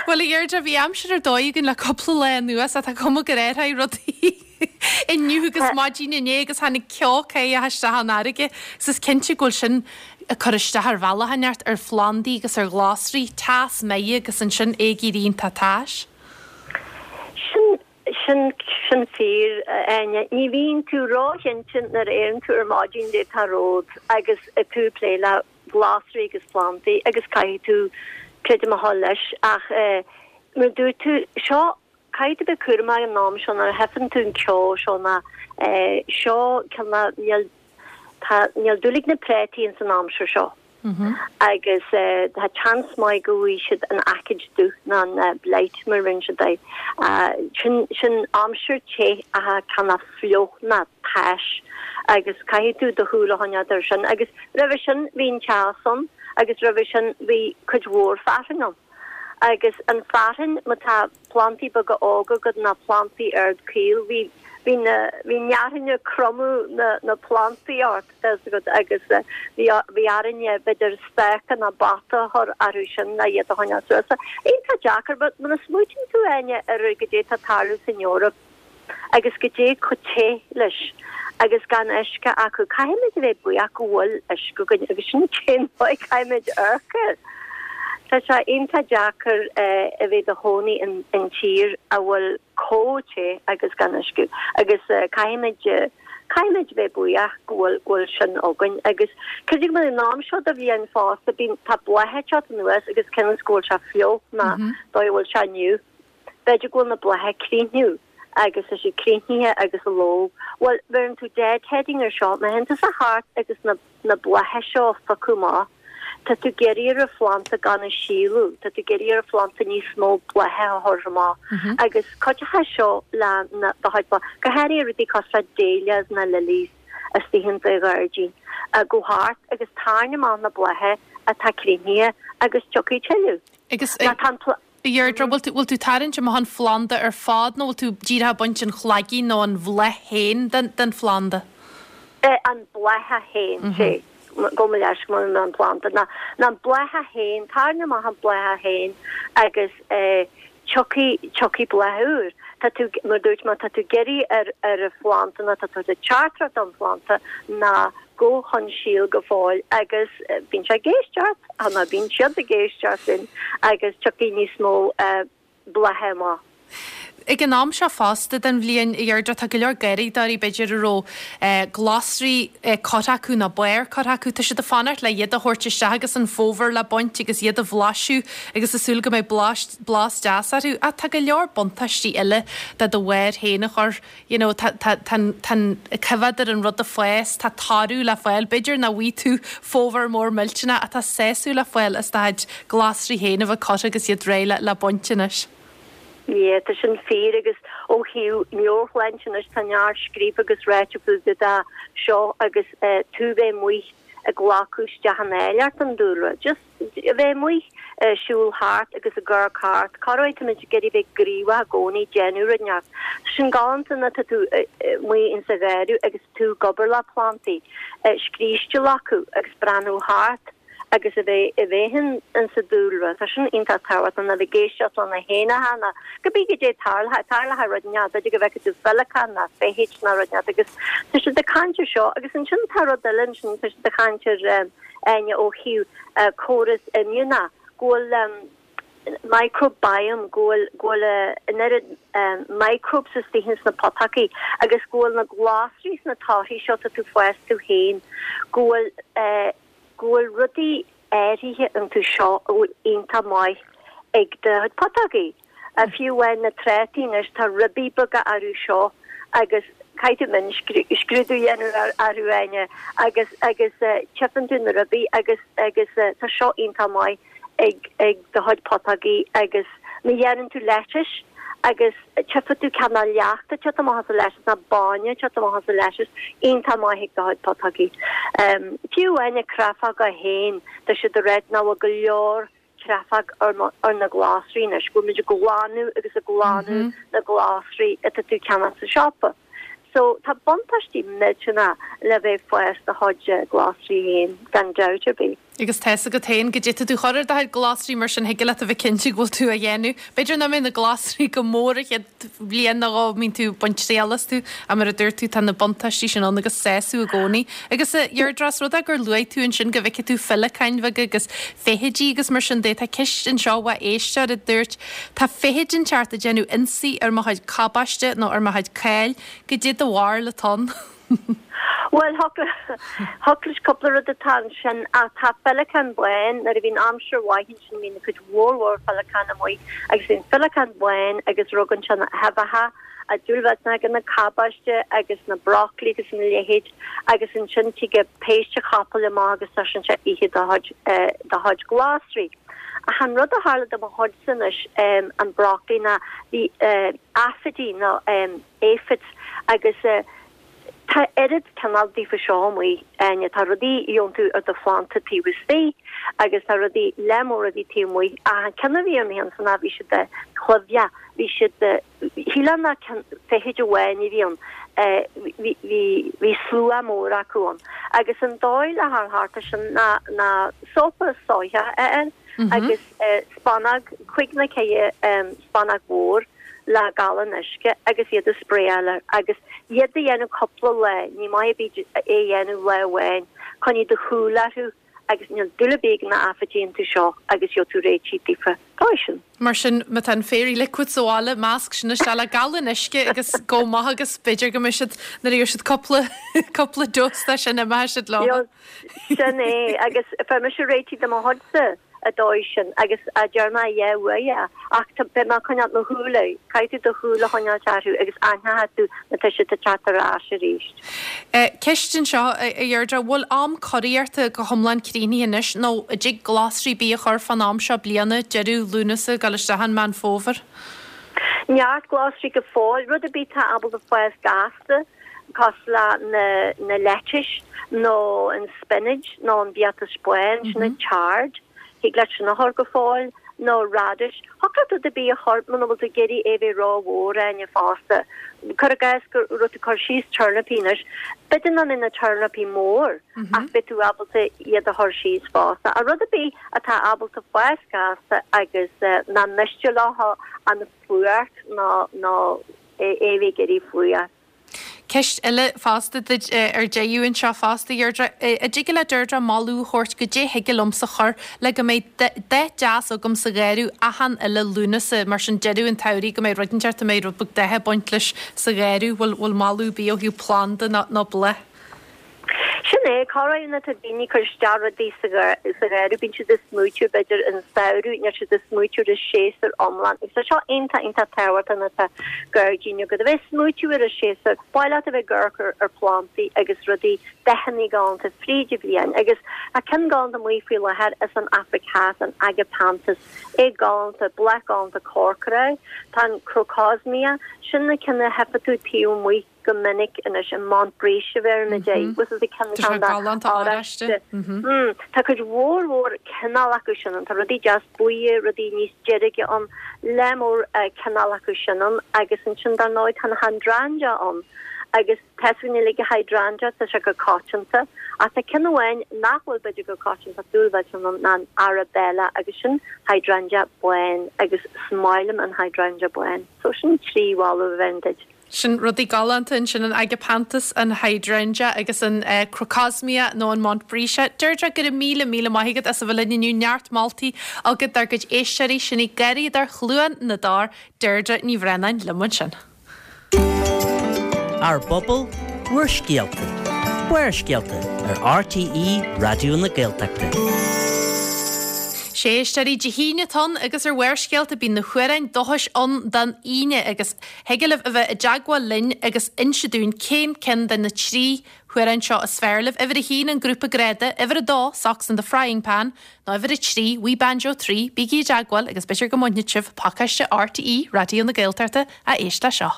Bhuel, a Dheirdre, bhí aimsir ar dóigh againn le cúpla lá anuas ach tá cuma gur athraigh rudaí inniu agus maidin inné agus tháinig ceo caoch isteach an fharraige. Is is cinnte go bhfuil sin ag cur isteach ar bhealach inteacht ar phlandaí agus ar ghlasraí, teas maith agus ansin é ag éirí iontach tais. Sin sin sin fíor Áine. Ní bhíonn tú róchinnte nuair a éiríonn tú ar maidin goidé tá romhat agus tú ag plé le glasraí agus plandaí agus caithfidh tú creidim a thoil leis ach eh, mar dúirt tú seo caithfidh tú bheith cúramach an am seo nuair a theipeann tú an ceo seo ná eh, seo cineál níl tá níl dúil ag na préataí ins an aimsir seo. Agus eh, tá chance maith go bhfaighidh siad an aicíd dubh ná an eh, blight mar rinne siad é. Uh, sin sin aimsir te a cineál fliuch ná tais agus caithfidh tú do shúil a choinneáil air sin agus roimhe sin bhí an teas ann agus roimhe sin bhí cuid mhór fearthainn ann. Agus an fearthainn má tá plantaí beaga óga agat ná plantaí ard caol bhí bhí na bhí fearthainn ag cromadh na na plantaí ort agat agus eh, bhí bhí orainne b'fhéidir stáca ná bata a chur orthu sin le iad a choinneáil suas. Iontach deacair, but muna smaoitíonn tú Áine ar goidé tá ag tarlú san Eoraip agus goidé chomh te leis agus gan uisce acu caithfimid a bheith buíoch go bhfuil uisce againn agus sin cén fáth caithfimid amharc air. Tá sé iontach deacair eh, a bheith i do chónaí in, in tír a bhfuil chomh te agus gan uisce agus uh, caithfimid uh, caithfimid bheith buíoch go bhfuil go bhfuil sin againn agus creidim go an am seo de bhliain fosta bíonn tá blátha ag teacht anuas agus cén go bhfuil sé fliuch ná dóigh bhfuil sé inniu. B'fhéidir go bhfuil na blátha críochnú agus is sé críochnaithe agus a ló. Well bheireann tú deadheading ar seo, má théann tusa thart agus na, na blátha seo fágáil amach. Tá tú ag iarraidh ar an phlanda gan a síolú, Tá tú ag iarraidh ar an phlanda níos mó blátha a chur amach. Agus cuideoidh seo le na do chuid bláth. Go háirithe rudaí cosúil le dahlias na lilies istigh in do ghairdín. Uh, go thart agus tarraing amach na blátha atá críochnaithe agus tiocfaidh tuilleadh. Agus Ná tá an pl- Deirdre, bhfuil tú bhfuil tú tarraingt amach an phlanda ar fad nó bhfuil tú díreach ag baint an chlaigín nó an bhláth féin den, den phlanda? Eh, an bláth féin sé go leis go an planda na na bláth féin tarraing amach an bláth féin agus eh, tiocfaidh tiocfaidh bláth úr. Tá tú mar dúirt má tá tú ag iarraidh ar ar an phlanda ná tá tú de chartra don phlanda ná go chun síl go fóill agus eh, bíonn sé ag éisteacht ná bíonn siad ag éisteacht linn agus tiocfaidh níos mó eh, blátha amach. Ag an am seo fosta den bhliain Deirdre tá go leor garraíodóirí b'fhéidir a raibh eh, glasraí eh, curtha acu nó barr curtha acu tá siad ag fanacht le iad a thabhairt isteach agus an fómhar le baint agus iad a bhlaiseadh agus ag súil go mbeidh blas blas deas orthu ach tá go leor buntáistí eile de do bharr féin a chur you know, tá tá tá coimhéad ar an rud a fás tá toradh le fáil b'fhéidir nach bhfaighidh tú fómhar mór millteanach atá sásamh le fáil is do chuid glasraí féin a bheith curtha agus iad réidh le le baint anois. Yeah, tá sin fíor agus ó thaobh meabhairshláinte anois tá neart scríofa agus ráite faoi de seo agus uh, tú bheith amuigh ag glacadh isteach an áilleacht an dúlra. Just a bheith amuigh uh, siúl thart agus ag amharc thart, Corruair táimid ag iarraidh bheith gníomhach i gcónaí déanamh rud inteacht. Sin galánta na tá tú amuigh in sa gharraí agus tú ag obair le plantaí, uh, scríste acu agus breathnú thart agus a bheith a bheith in sa dúlra Tá sin iontach tábhachtach an a bheith ag éisteacht le na héanacha ná go bí go dé tarla tarla rud ne go bhfeiceann tú féileacán ná feithid ná rud inteacht agus tá siad ag caint air seo agus ansin tá rud eile sin tá siad ag caint ar Áine ó thaobh córas imdhíonach go bhfuil um, microbiome go bhfuil go bhfuil an oiread um, microbes istigh sna potachaí agus go bhfuil na glasraí sna torthaí seo tá tú fás tú féin go bhfuil uh, go bhfuil rudaí áirithe iontu seo a bhfuil iontach maith ag do potachaí. A fiú amháin na trátaí anois tá ribí beaga orthu seo agus Caithfidh tú mion-scrúdú a dhéanamh orthu Áine agus agus tchifeann tú na rudaí agus agus tá seo iontach maith ag ag do chuid putógaí agus má dhéanann tú lettuce agus tchifeann tú cineál leacht ag teacht amach as an lettuce nó bainne ag teacht amach as an lettuce iontach maith ag do chuid putógaí. Fiú amháin na créafóga féin tá siad ag ráit nach bhfuil go leor créafóg ar ar na glasraí anois, go bhfuil muid ag glanadh agus ag glanadh na glasraí atá tú ag ceannach sa siopa. So tá buntáistí millteanach le bheith ag fás do chuid glasraí féin gan dabht ar bith. Agus tá's agat féin goidé tá tú chur ar do chuid glasraí mar sin thig leat a bheith cinnte go bhfuil tú a dhéanamh. B'fhéidir nach mbeidh na glasraí go mór an chéad bhliain nó dhó a mbíonn tú ag baint triail astu ach mar a dúirt tú tá na buntáistí sin ann agus sásamh i gcónaí. Agus a Dheirdre, os rud é gur luaigh tú ansin go bhfeicfidh tú féileacáin bheaga agus feithidí agus mar sin de, tá ceist anseo ó éisteoir a dúirt tá feithid inteacht ag déanamh ionsaí ar mo chuid cabáiste nó ar mo chuid cáil, goidé do bharúil atá ann. Bhuel, thiocfadh leis cúpla rud atá ansin ach tá féileacán bán, nuair a bhíonn aimsir mhaith ansin bíonn cuid mhór mhór féileacán amuigh agus bíonn féileacán bán agus rugann sé na huibheacha a dúil ag na cabáiste agus na broccoli agus na leithéid agus ansin tig péiste chapaill amach agus tá sin sé ithe do chuid do chuid glasraí. Ach an rud a tharla do mo chuidse anois an broccoli ná bhí aifidí nó aphids agus Tá oiread cineál daofa seo amuigh, Áine, tá rudaí a gheobhann tú ar do phlanda taobh istigh agus tá rudaí lear mór rudaí taobh amuigh. Ach an ceann a bhí ar mo cheannsa ná bhí siad cluimhdeach, bhí siad, shílfeá nach feithid amháin a bhí ann, bhí, bhí, bhí slua mór acu ann. Agus an dóigh le dhul thart air sin ná, ná sópa soitheach a fháil agus spúnóg, cúig nó ceithre spúnóg mhór, le galán uisce agus iad a spraeáil air agus iad a dhéanamh cúpla lá, ní maith ar bith é a dhéanamh lá amháin, coinnigh do shúil orthu agus níl dúil ar bith ag na aifidí iontu seo agus gheobhaidh tú réitithe daofa. Dóigh sin. Mar sin, má tá an Fairy Liquid sa bhaile, measc sin isteach le galán uisce agus gabh amach agus b'fhéidir go mbeidh siad, nuair a gheobhaidh siad cúpla, cúpla dose de sin imeoidh siad leo. Sin é, agus fuair mise réitithe de mo chuidse. an dóigh sin agus a deir mé yeah uaidh é ach tá beidh mé ag coinneáil mo shúil air, caithfidh tú do shúil a choinneáilt orthu agus aithneoidh tú má tá siad ag teacht ar ais arís. Ceist anseo, a Dheirdre, bhfuil am curaíochta go hiomlán críochnaithe anois nó an dtig glasraí ar bith a chur fán am seo bliana, deireadh Lúnasa, ag dul isteach in Meán Fómhair? Neart glasraí go fóill, rud ar bith atá ábalta fás gasta cosúil le na na lettuce nó an spinach nó an biatas bán, sin an chard. Thig leat sin a chur go fóill, nó radish. Thiocfadh leat rud ar bith a chur muna bhfuil tú ag iarraidh é bheith ró-mhór, Áine, fosta. Cuir i gcás go raibh tú ag cur síos turnapaí anois, b'fhéidir nach mbeidh na turnapaí mór ach beidh tú ábalta iad a chur síos fosta. Ach rud ar bith atá ábalta fás gasta agus nach miste leo an fuacht ná ná é a bheith ag éirí fuar. Ceist eile fosta duit ar deireadh anseo fosta, Dheirdre. An dtig le Deirdre moladh a thabhairt goidé thig liomsa chur le go mbeidh dath deas agam sa gharradh achan uile Lúnasa, mar sin deireadh an tsamhraidh go mbeidh rud inteacht a mbeidh rud beag datha ag baint leis sa gharradh. Bhfuil bhfuil moladh ar bith ó thaobh planda nó bláth? Sin é, corruair nuair atá daoine ag cur isteach rudaí sa gharradh, bíonn siad ag smaoitiú b'fhéidir an samhradh, níl siad ag smaoitiú ar an séasúr iomlán. Agus tá seo iontach, iontach tábhachtach nuair atá gairdín agat, a bheith ag smaoitiú ar an séasúr. Ba mhaith leat a bheith ag amharc ar, ar phlandaí agus rudaí, dathanna galánta fríd an bhliain. Agus tá ceann galánta amuigh faoi láthair as an Afraic Theas, an Agapanthus, é galánta, bláth galánta corcra é. Tá an Crocosmia, sin na cinn a tchífidh tú taobh amuigh. go minic anois an Montbretia a bheirimid air, bhfuil a fhios agat Tá sé galánta oráiste. Tá cuid mhór mhór cineál acu sin ann. Tá rudaí deas buí, rudaí níos deirge ann, lear mór cineál acu sin ann agus ansin dar ndóigh tá na hydrangea ann agus tá a fhios againn uilig hydrangea, tá sé go coitianta ach tá ceann amháin nach bhfuil b'fhéidir go coitianta ach dúil mhillteanach ann ná an Arabella agus sin hydrangea bán agus is maith liom an hydrangea bán. So sin trí mholadh a bheinn duit. Sin rudaí galánta ansin, an Agapanthus, an Hydrangea agus an Crocosmia nó an Montbretia. Deirdre, go raibh míle míle maith agat as a bheith linn inniu. Neart moltaí agat dár gcuid éisteoirí. Sin í Garraíodóir Chluain na dTor, Deirdre Ní Bhraonáin liom ansin. Ár bpobal, bhur scéalta. Barrscéalta ar RTÉ Raidió na Gaeltachta. Sé éisteoirí, Dé hAoine atá ann agus ar Bharrscéalta bíonn na hamhráin dúchais ann don Aoine agus thig libh a bheith i dteagmháil linn agus inse dúinn cén ceann de na trí hamhrán seo is fearr libh. Uimhir a haon, an grúpa Grada, uimhir a dó, Socks in the Frying Pan, nó uimhir a trí, Wee Banjo Three. Bígí i dteagmháil agus b'fhéidir go mbainfidh sibh pacáiste RTÉ Raidió na Gaeltachta a éist leis seo.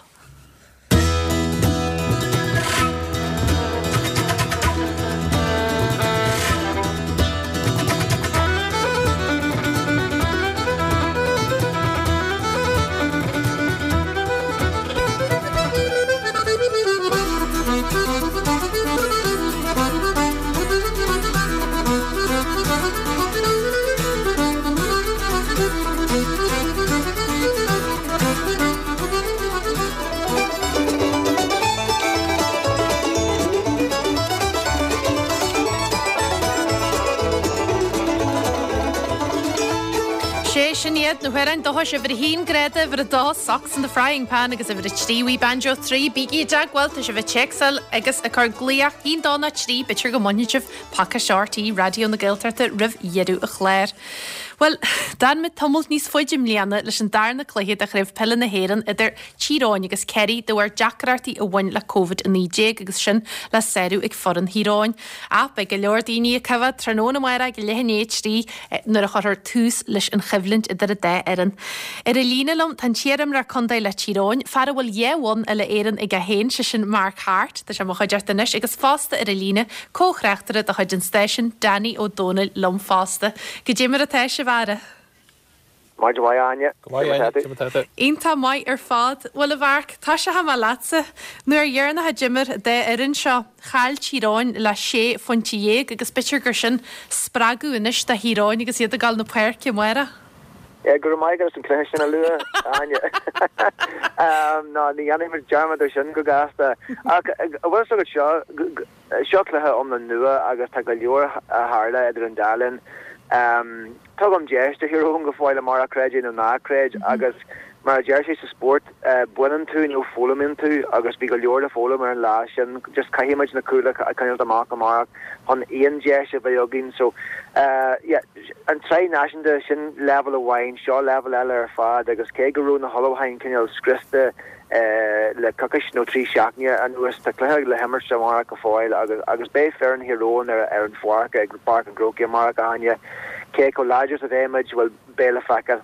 Sé sin iad na hamhráin dúchais uimhir a haon Grada, uimhir a dó Socks in the Frying Pan agus uimhir a trí Wee Banjo Three. Bígí i dteagmháil, tá sibh ag téacsáil agus ag cur glaoch haon dó nó trí, b'fhéidir go mbainfidh sibh pacáiste RTÉ Raidió na Gaeltachta roimh dheireadh an chláir. Bhuel, d'fhan muid tamall níos faide i mbliana leis an darna cluiche de Chraobh Peile na hÉireann idir Tír Eoghain agus Ciarraí de bharr deacrachtaí a bhain le Covid a naoi déag agus sin le sárú ag foireann Thír Eoghain. Ach beidh go leor daoine ag coimhéad tráthnóna amárach ag leath i ndiaidh a trí nuair a chuirfear tús leis an choimhlint idir an dá fhoireann. Ar an líne liom tá an t-iarimreoir contae le Tír Eoghain, fear a bhfuil dhá bhonn uile Éireann aige féin, sé sin Mark Harte, tá sé i mo chuideachta anois, agus fosta ar an líne, comh-thráchtaire de chuid an stáisiúin, Danny Ó Dónaill liom fosta. Goidé mar atá sibh, a fheara? Maidin mhaith, Áine. Go maith, Áine. Cé mar atá tú? Iontach maith ar fad. Bhuel, a Mharc, tosóidh mé leatsa. An uair dheireanach a d'imir an dá fhoireann seo, chaill Tír Eoghain le sé phointe dhéag agus b'fhéidir gur sin spreagadh anois do Thír Eoghain agus iad ag dul na páirce amárach. Yeah, go raibh maith agat as an cluiche sin a lua, Áine. Ná, ní dhéanfaidh muid dearmad air sin go gasta. Ach, an bhfuil fhios agat seo, seo cluiche iomlán nua agus tá go leor a tharla idir an dá linn. Tugaim deis do Thír Eoghain go fóill amárach, creid é nó ná creid, agus mar a deir sé sa spórt, baineann tú nó foghlaimíonn tú agus bhí go leor le foghlaim ar an lá sin. Just caithfidh muid na cúil a choinneáilt amach amárach chun aon deis a bheith againn. So, yeah, an tsraith náisiúnta, sin leibhéal amháin, seo leibhéal eile ar fad agus cé go raibh na hullmhúcháin cineál scriosta le coicís nó trí seachtaine anuas, tá cluiche le himirt amárach go fóill agus agus beidh foireann Thír Eoghain ar ar an pháirc ag Páirc an Chrócaigh amárach, a Áine. Cé chomh láidir is a bheidh muid, bhuel, beidh le feiceáil.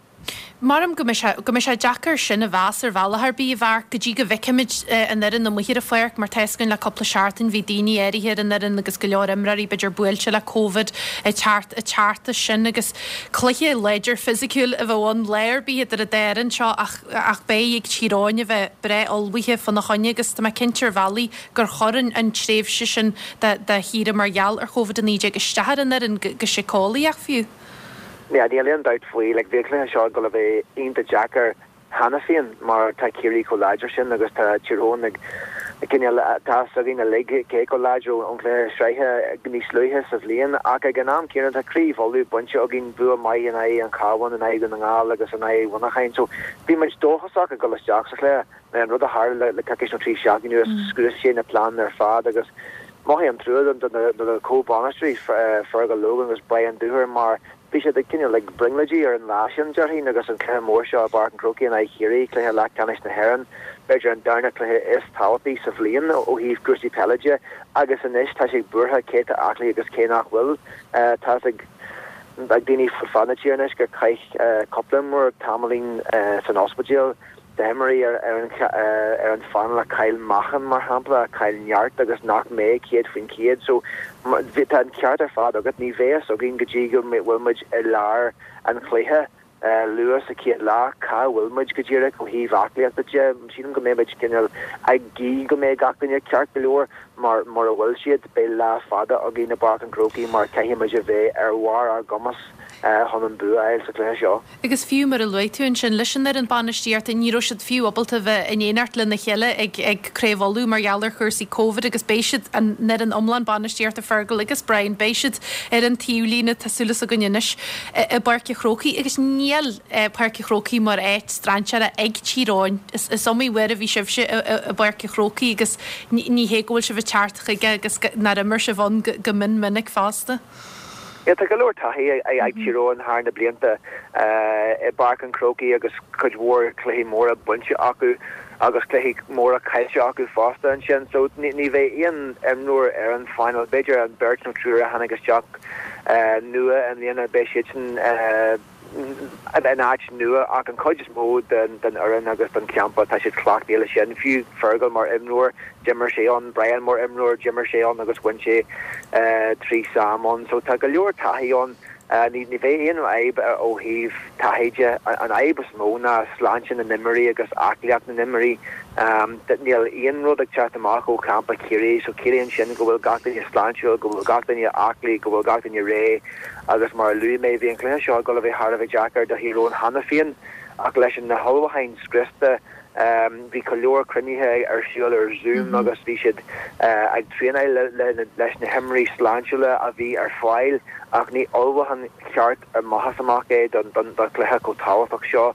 Maram go mbeidh sé, go mbeidh sé deacair sin a mheas ar bhealach ar bith, a Mharc, go dtí go bhfeicfimid an fhoireann amuigh ar an pháirc, mar tá fhios againn le cúpla seachtain bhí daoine áirithe ar an fhoireann agus go leor imreoirí b'fhéidir buailte le Covid ag teacht, ag teacht as sin agus cluiche láidir fisiciúil a bheadh ann lá ar bith idir an dá fhoireann seo ach, ach beidh ag Tír Eoghain a bheith breá ullmhaithe fána choinne agus tá mé cinnte ar bhealaí gur chuir an, an tréimhse sin de, de shaoire mar gheall ar Covid a naoi déag isteach ar an fhoireann go, go síceolaíoch fiú. Yeah, níl aon dabht faoi. Like, bhí an cluiche seo ag dul a bheith iontach deacair cheana féin mar tá Ciarraí chomh láidir sin agus tá Tír Eoghain ag cineál, tá fhios againn uilig cé chomh láidir ón chluiche sraithe níos luaithe sa bhliain ach ag an am céanna tá Craobh Uladh bainte againn, bua maith in aghaidh an Chabháin, in aghaidh Dhún na nGall agus in aghaidh Mhuineacháin so bhí muid dóchasach ag dul isteach sa chluiche. Now an rud a tharla le coicís nó trí seachtaine anuas, scrios sé na pleananna ar fad agus mothaím trua do na comh-bhainisteoirí, Fergal Logan agus Brian Dooher mar bhí siad ag cineál ag brionglóidí ar an lá sin, déarfainn, agus an cluiche mór seo i bPáirc an Chrócaigh in aghaidh Chiarraí, cluiche leathcheannais na hÉireann, b'fhéidir an darna cluiche is tábhachtaí sa bhliain ó thaobh cúrsaí peile de, agus anois tá sé buartha cé atá aclaí agus cé nach bhfuil. Tá fhios ag daoine fud fad na tíre anois gur chaith cúpla imreoir tamaillín san ospidéal. D'imreoirí ar an phainéal a chaill meáchan, mar shampla, a chaill neart agus nach mbeidh céad faoin chéad. So, tá an ceart ar fad agat, ní bheidh fhios againn go dtí go bhfuil muid i lár an chluiche, luath sa chéad leath, cá bhfuil muid go díreach ó thaobh aclaíochta de. Sílim go mbeidh muid cineál ag guí go mbeidh gach duine ceart go leor mar mura bhfuil siad, beidh lá fada againn i bPáirc an Chrócaigh mar caithfidh muid a bheith ar bharr ár gcumas chun an bua a fháil sa chluiche seo. Agus fiú mar a luaigh tú ansin, leis an fhoireann bainistíochta, ní raibh siad fiú ábalta a bheith in éineacht lena chéile ag ag Craobh Uladh mar gheall ar chúrsaí Covid agus beidh siad, an fhoireann iomlán bainistíochta, Fergal agus Brian, beidh siad ar an taobhlíne, tá súil againn anois, i bPáirc an Chrócaigh agus níl Páirc an Chrócaigh mar áit strainséartha ag Tír Eoghain. Is is iomaí uair a bhí sibhse i i bPáirc an Chrócaigh agus ní ní hé go bhfuil sibh ag teacht chuige agus nár imir sibh ann go go mion minic fosta. Yeah, tá go leor taithí ag Tír Eoghain thar na blianta i bPáirc an Chrócaigh agus cuid mhór cluichí móra bainte acu agus cluichí móra caillte acu fosta ansin. So ní, ní bheidh aon imreoir ar an phainéal, b'fhéidir an beirt nó triúr a tháinig isteach nua i mbliana beidh siad sin in áit nua ach an chuid is mó den den fhoireann agus den champa tá siad cleachtaithe leis sin. Fiú Fergal mar imreoir d'imir sé ann, Brian mar imreoir d'imir sé ann agus bhain sé trí Sam ann. So tá go leor taithí ann. Ní ní bheidh aon fhadhb ó thaobh taithí de. An fhadhb is mó ná sláinte na n-imreoirí agus aclaíocht na n-imreoirí. Níl aon rud ag teacht amach ó champa Chiarraí so ciallaíonn sin go bhfuil gach duine sláintiúil, go bhfuil gach duine aclaí, go bhfuil gach duine réidh agus mar a luaigh mé bhí an cluiche seo ag dul a bheith thar a bheith deacair do Thír Eoghain cheana féin ach leis na hullmhúcháin scriosta bhí go leor cruinnithe ar siúl ar Zoom agus bhí siad ag traenáil leis na himreoirí sláintiúla a bhí ar fáil ach ní ullmhúchán ceart amach is amach é don chluiche chomh tábhachtach seo.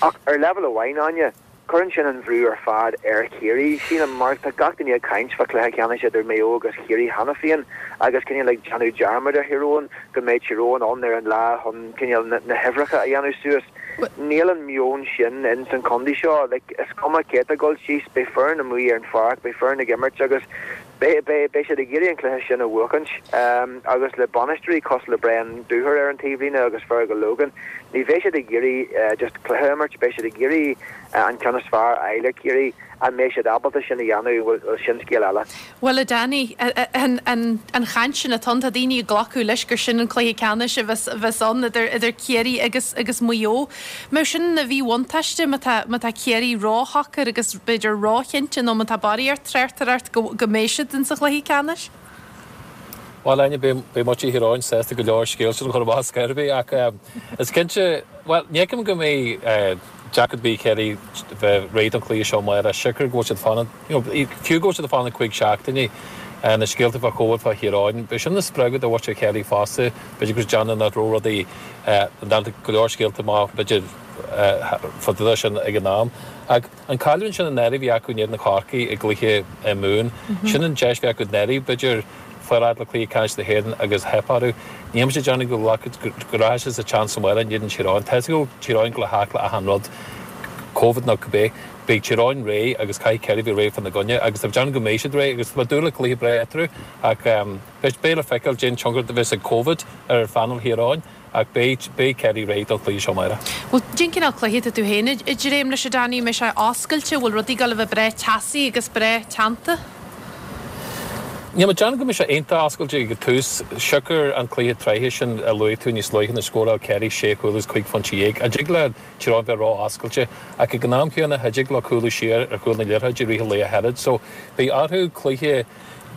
Ach ar leibhéal amháin, Áine, cuireann sin an bhrú ar fad ar Chiarraí, sílim, mar tá gach duine ag caint fá chluiche ceannais idir Maigh Eo agus Ciarraí cheana féin agus cineál ag déanamh dearmad ar Thír Eoghain go mbeidh Tír Eoghain ann ar an lá chun cineál na huimhreacha a dhéanamh suas. Níl an meon sin in san chontae seo. Like, is cuma cé atá ag dul síos, beidh foireann amuigh ar an pháirc, beidh foireann ag imirt agus beidh, beidh, beidh siad ag iarraidh an cluiche sin a bhuachaint. Um, agus le bainisteoirí cosúil le Brian Dooher ar an taobhlíne agus Fergal Logan, ní bheidh siad ag iarraidh uh, just cluiche a imirt, beidh siad ag iarraidh uh, an ceann is fearr a fháil ar Chiarraí. An mbeidh siad ábalta sin a dhéanamh, bhuel, sin scéal eile. Bhuel, a Danny, an, an, an chaint sin atá ann, tá daoine ag glacadh leis gur sin an cluiche ceannais a bheas, bheas ann idir, idir Ciarraí agus, agus Maigh Eo. Mbeadh sin ina mhíbhuntáiste má tá, má tá Ciarraí róshocair agus b'fhéidir róchinnte nó má tá barraíocht tráchtaireacht go, go mbeidh siad in sa chluiche ceannais? Bhuel, Áine, beidh, beidh muintir Thír Eoghain sásta go leor scéal sin a chur amach scor ar bith ach um, is cinnte, well, ní fheicim go mbeidh uh, deacracht ar bith ag Ciarraí bheith réidh don chluiche seo amárach siocair go bhfuil siad fanacht, you know, fiú go bhfuil siad ag fanacht cúig seachtainí uh, na scéalta fá Covid fá Thír Eoghain, B'é sin ina spreagadh do mhuintir Chiarraí fosta, b'fhéidir go déanamh nach raibh rudaí uh, go leor scéalta amach b'fhéidir uh, fá sin ag an am. Ach an cailliúint sin an bhí acu in éadan Chorcaí i gcluiche Mumhan, sin an deis bhí acu anuraidh b'fhéidir fáil le cluiche ceannais na hÉireann agus theip orthu. Níl mise ag déanamh go go rachaidh siad sa tseans amárach in éadan Tír Eoghain. Tá go Tír Eoghain go le achan rud Covid nó cibé beidh Tír Eoghain réidh agus caithfidh Ciarraí bheith réidh fána gcoinne agus tá déanamh go mbeidh siad réidh agus tá dúil le cluiche breá eatarthu ach beidh beidh le feiceáil cén tionchar a bheas ag Covid ar phainéal Thír Eoghain ach beidh beidh Ciarraí réidh don chluiche seo amárach. Bhuel cén cineál cluiche atá tú féin ag dréim leis a Danny mbeidh sé oscailte bhfuil rudaí ag dul a bheith breá teasaí agus breá teannta? Níl mé ag déanamh go mbeidh sé iontach oscailte ag tús siocair an cluiche tráithe sin a luaigh tú níos luaithe na scóráil Ciarraí sé chúl agus cúig phointe dhéag. An dtig le Tír Eoghain bheith ró-oscailte ach ag an am céanna cha dtig leo cúlú siar ar chúl na liathróide i rith an lae cheart, so beidh orthu cluiche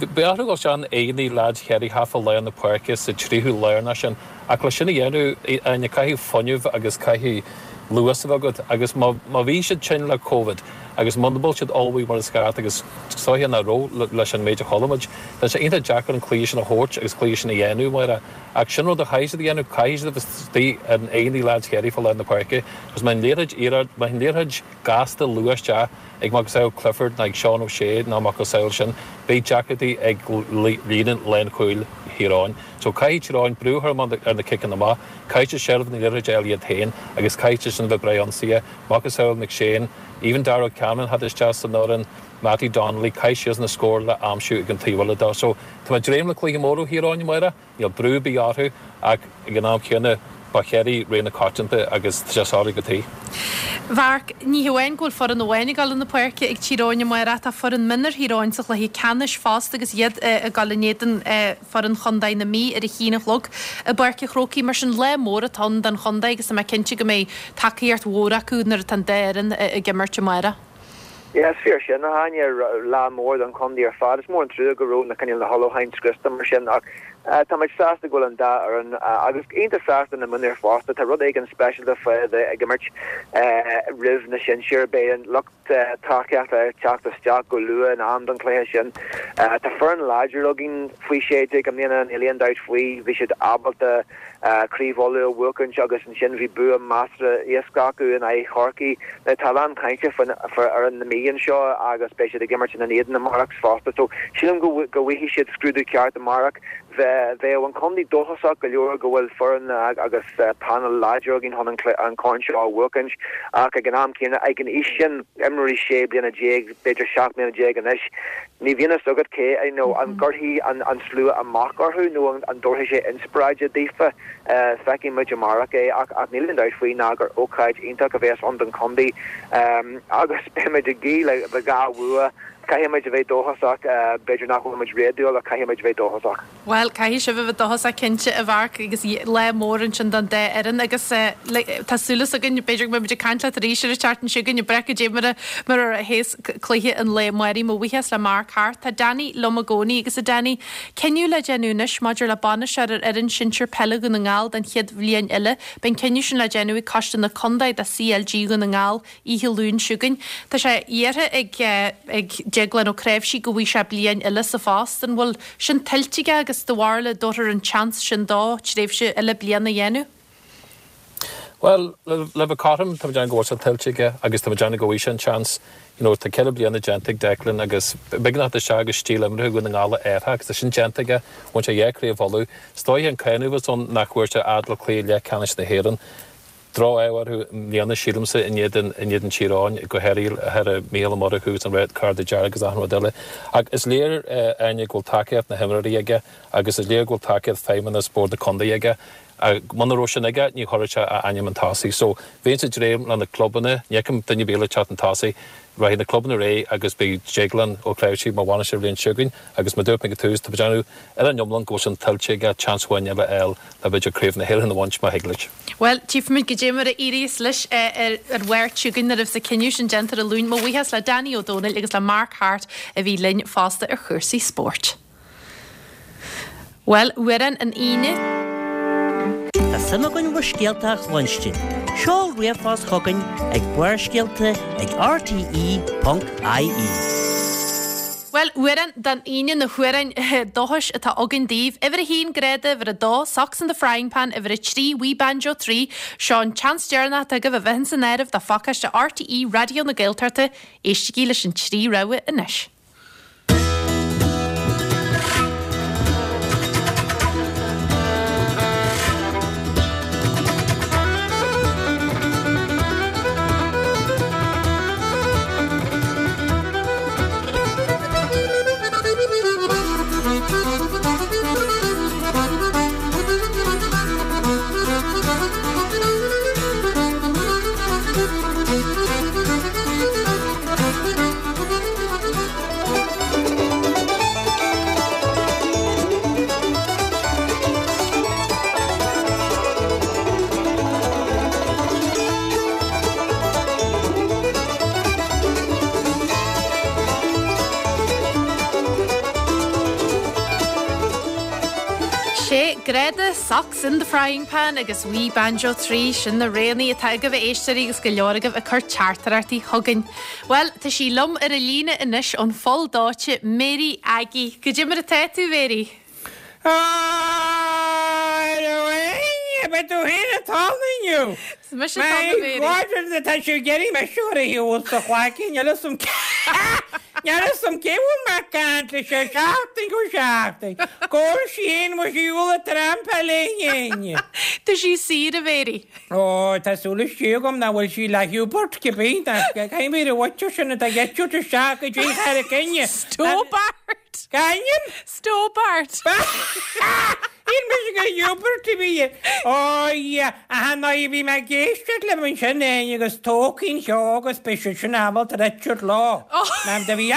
beidh orthu dul isteach in aghaidh leaids Chiarraí thart fá lár na páirce sa tríú lárnach sin ach le sin a dhéanamh aine caithfidh fuinneamh agus caithfidh luas a bheith agat agus má má bhí siad tinn le Covid agus muna bhfuil siad ullmhaithe mar is ceart agus sóthe nach raibh leis an méid a chuala muid. Tá sé iontach deacair an cluiche sin a thabhairt agus cluiche sin a dhéanamh mar ach sin rud a chaithfidh siad a dhéanamh caithfidh siad a bheith istigh in aghaidh leaids Chiarraí fá lár na páirce agus má an liathróid iarraidh má an liathróid gasta luath isteach ag macasamhail Clifford ná ag Seán O'Shea ná macasamhail sin beidh deacrachtaí ag líne lánchúil Thír Eoghain. So caithfidh Tír Eoghain brú a chur ar na ciceanna amach, caithfidh siad seilbh na liathróide a fháil iad féin agus caithfidh siad sin bheith breá ionsaithe, macasamhail McShane, even Darragh Cameron had isteach san fhoireann, Mattie Donnelly, caithfidh siad na scór le aimsiú ag an taobh eile dó. So tá mé ag dréim le cluiche mór ó Thír Eoghain amárach, níl brú ar bith orthu ach ag an am céanna ba Chiarraí rogha na coitianta agus tá sé soiléir go tí. Mharc, ní hamháin go bhfuil foireann amháin ag dul chun na páirce ag Tír Eoghain amárach tá foireann mionúir Thír Eoghain sa chluiche ceannais fosta agus iad ag dul in éadan foireann Chontae na Mí ar a haon a chlog i bPáirc an Chrócaigh mar sin lá mór atá ann don chontae agus tá mé cinnte go mbeidh tacaíocht mhór acu nuair atá an dá fhoireann ag imirt amárach. Yeah, is fíor sin a Áine lá mór don chontae ar fad. Is mór an trua go raibh na cineál na hullmhúcháin scriosta mar sin ach tá muid sásta go bhfuil an dá fhoireann agus iontach sásta na mionúir fosta tá rud éigin speisialta fá bheith ag imirt roimh na sinsir beidh an lucht tacaíochta ag teacht isteach go luath in am don chluiche sin. Tá foireann láidir againn faoi sé déag i mbliana níl aon dabht faoi bhí siad ábalta Craobh Uladh a bhuachaint agus ansin bhí bua measartha éasca acu in aghaidh Chorcaí. Tá a lán cainte faoin fhoireann na Mí anseo agus beidh siad ag imirt ina n-éadan amárach fosta. So sílim go go bhfaighidh siad scrúdú ceart amárach. Bheadh an contae dóchasach go leor go bhfuil foireann agus panel láidir againn chun an corn seo a bhuachaint ach ag an am céanna ag an aois sin imreoirí sé bliana déag b'fhéidir seacht mbliana déag anois ní bhíonn a fhios agat cé you know an gcuirfidh an an slua amach orthu nó an an dtabharfaidh sé inspioráid daofa. Feicfidh muid amárach é ach ach níl aon dabht faoi ná gur ócáid iontach a bheas ann don chontae agus beimid ag guí le dhá bhua. Caithfidh muid a bheith dóchasach, b'fhéidir nach bhfuil muid réadúil ach caithfidh muid a bheith dóchasach. Bhuel, caithfidh sibh a bheith dóchasach cinnte, a Mharc, agus lá mór ansin don dá fhoireann agus tá súil againn, b'fhéidir go mbeidh muid ag caint leat arís ar an tseachtain seo chugainn, ag breith goidé mar a mar a théas cluiche an lae amáirigh. Mo bhuíochas le Mark Harte. Tá Danny liom i gcónaí agus a Danny, cinneadh le déanamh anois maidir le bainisteoir ar fhoireann sinsir peile Dhún na nGall don chéad bhliain eile. Beidh an cinneadh sin le déanamh ag Coiste na Contae de CLG Dhún na nGall oíche Luain seo chugainn. Tá sé iarrtha ag ag Deaglán Ó Cnáimhsí go bhfaighidh sé bliain eile sa phost. An bhfuil sin tuillte aige agus do bharúil an dtabharfar an tseans sin dó tréimhse eile bliana a dhéanamh? Bhuel, le bheith cothrom, tá mé ag déanamh go bhfuil sé tuillte aige agus tá mé ag déanamh go bhfaighidh sé an tseans. You know, tá ceithre bliana déanta ag Declan agus beagnach isteach agus stíl imeartha Dhún na nGall a athrú agus tá sin déanta aige. Bhain sé dhá chraobh Uladh. Is dóiche an cáineadh a bheas ann nach bhfuair sé fhad le cluiche leathcheannais na hÉireann. Droch-ádh orthu i mbliana, sílimse, in éadan in éadan Tír Eoghain, go háirithe thar Mícheál Ó Murchú agus an red card dearg agus achan rud eile. Ach is léir, Áine, go bhfuil tacaíocht na himreoirí aige agus is léir go bhfuil tacaíocht feidhmeannas Bord na Contae aige. Muna raibh sin aige, ní chuirfeadh sé a ainm chun tosaigh. So, bheinnse ag dréim le na clubanna, ní fheicim duine ar bith eile ag teacht chun tosaigh, rachaidh na clubanna ar aghaidh agus beidh Deaglán Ó Cnáimhsí mar bhainisteoir an bhliain seo chugainn agus mar dúirt mé ag an tús, tá mé ag déanamh ar an iomlán go bhfuil sin tuillte aige seans amháin eile a fháil le b'fhéidir Craobh na hÉireann a bhaint má thig leis. Bhuel, tchífimid goidé mar a éiríos leis ar an Mháirt seo chugainn nuair a bheas an cinneadh sin déanta ar an Luan. Mo bhuíochas le Danny Ó Dónaill agus le Mark Harte a bhí linn fosta ar chúrsaí spóirt. Bhuel, amhrán an Aoine. Tá suim againn bhur scéalta a chluinstin. Seol ríomhphost chugainn ag Barrscéalta ag rte ponc ie. Bhuel, amhrán don Aoine na hamhráin dóchais atá againn daoibh. Uimhir a haon, Greada, uimhir a dó, Socks in the Frying Pan, uimhir a trí, Wee Banjo Three. Seo an tseans deireanach atá agaibh a bheith ins an áireamh do phacáiste RTÉ Raidió na Gaeltachta. Éistigí leis an trí rogha anois. Sé Greada, Socks in the Frying Pan agus Wee Banjo Three, sin na roghanna atá agaibh a éisteoirí agus go leor agaibh ag cur teachtaireachtaí chugainn. Bhuel, tá sí liom ar an líne anois ón Pholl Dóite, Mary Aggie. Goidé mar atá tú, Mary? Ab é tú féin atá ann inniu? Is mise atá ann, a Mary. My God, tá tú ag iarraidh mise a chur ar shiúl sa chlaicín, níl 'fhios a'm Níl 'fhios a'm cé bhfuil mé ag caint leis ó sheachtain go seachtain. Go bhfuil sí féin mo shiúl ag trampáil léi. Tá sí saor, a Mhary. Ó, tá súil istigh agam nach bhfuil sí le Hubert cibé. Caithfidh mé a bhfaitear sin atá ag eitilt isteach go dtí Charraig Fhinne. Stobart! C'ainm? Stobart! Shíl mise gur Hubert a bhí. Ó, yeah, aha, ná bhí mé ag éisteacht libh ansin fhéin agus tócaín cheo agus beidh siad sin ábalta ar eitilt leo. Ma'am, do bhí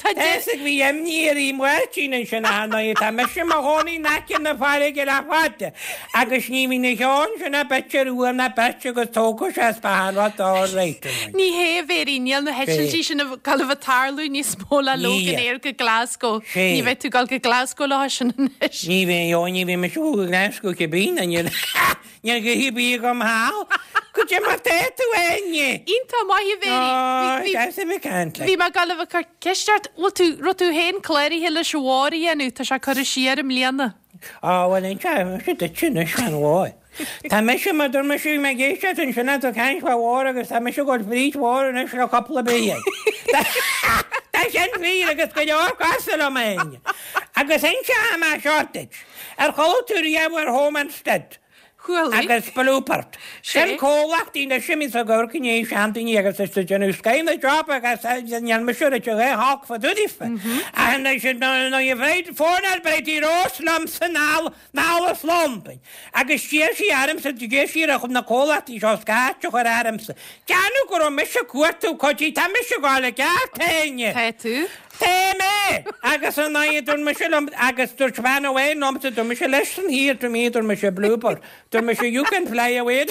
Tá Is ag bhí imní ar Uí Mháirtín ansin aha, ná tá mise i mo chónaí in aice na farraige le fada agus ní bhíonn na cheann sin a bit ar uaim ná beirt agus tógfaidh sé is beatha an rud all right. Ní hé, a Mhary, níl na heitiltí sin ag gabháil a bheith ag tarlú níos mó le Loganair go Glasgow. Ní bheidh tú ag gabháil go Glasgow leo sin anois. Ní bheidh, ó ní bheidh mise ag gabháil go Glasgow cibé, ná níl níl gnaithe ar bith agam thall. Goidé mar tá tú, a Áine? Iontach maith, a Mhary. Ó, deas a bheith ag caint leat. Bhí mé ag gabháil a bheith ag cur ceist ort, bhfuil tú, raibh tú féin cláraithe leis an bhór a dhéanamh, tá sé curtha siar i mbliana. Á, bhuel, inseoidh mise duit anois fán bhór. Tá mise, mar dúirt mise, bhí mé ag éisteacht ansin ag caint fá bhór agus tá mise ag gabháil fríd bhór anois le cúpla bliain. Tá sin fíor agus go leor cosúil liom féin. Agus inseoidh mé seo duit, ar chuala tú riamh ar Home Instead? Chuala. Agus Bluebird. Sin comhlachtaí anois a bhíonns ag amharc i ndiaidh seandaoine agus is ag déanamh scoith na job agus níl mise ag rá olc fá dtaobh daofa. Ach anois nuair a bhí fónáil Bridie Rose liomsa anall anall as Londain agus d'iarr sí ormsa d'iarr sí ar na comhlachtaí seo scairt a chur ormsa. Déanamh go raibh mise ag cuartú cuidí tá mise ag gabháil i gceart féin. Tá tú. Tá mé! Agus an aghaidh, dúirt mise liom, agus dúirt bean amháin liomsa, dúirt mise leis san thiar, dúirt mé, dúirt mise Bluebird, dúirt mise you can fly away,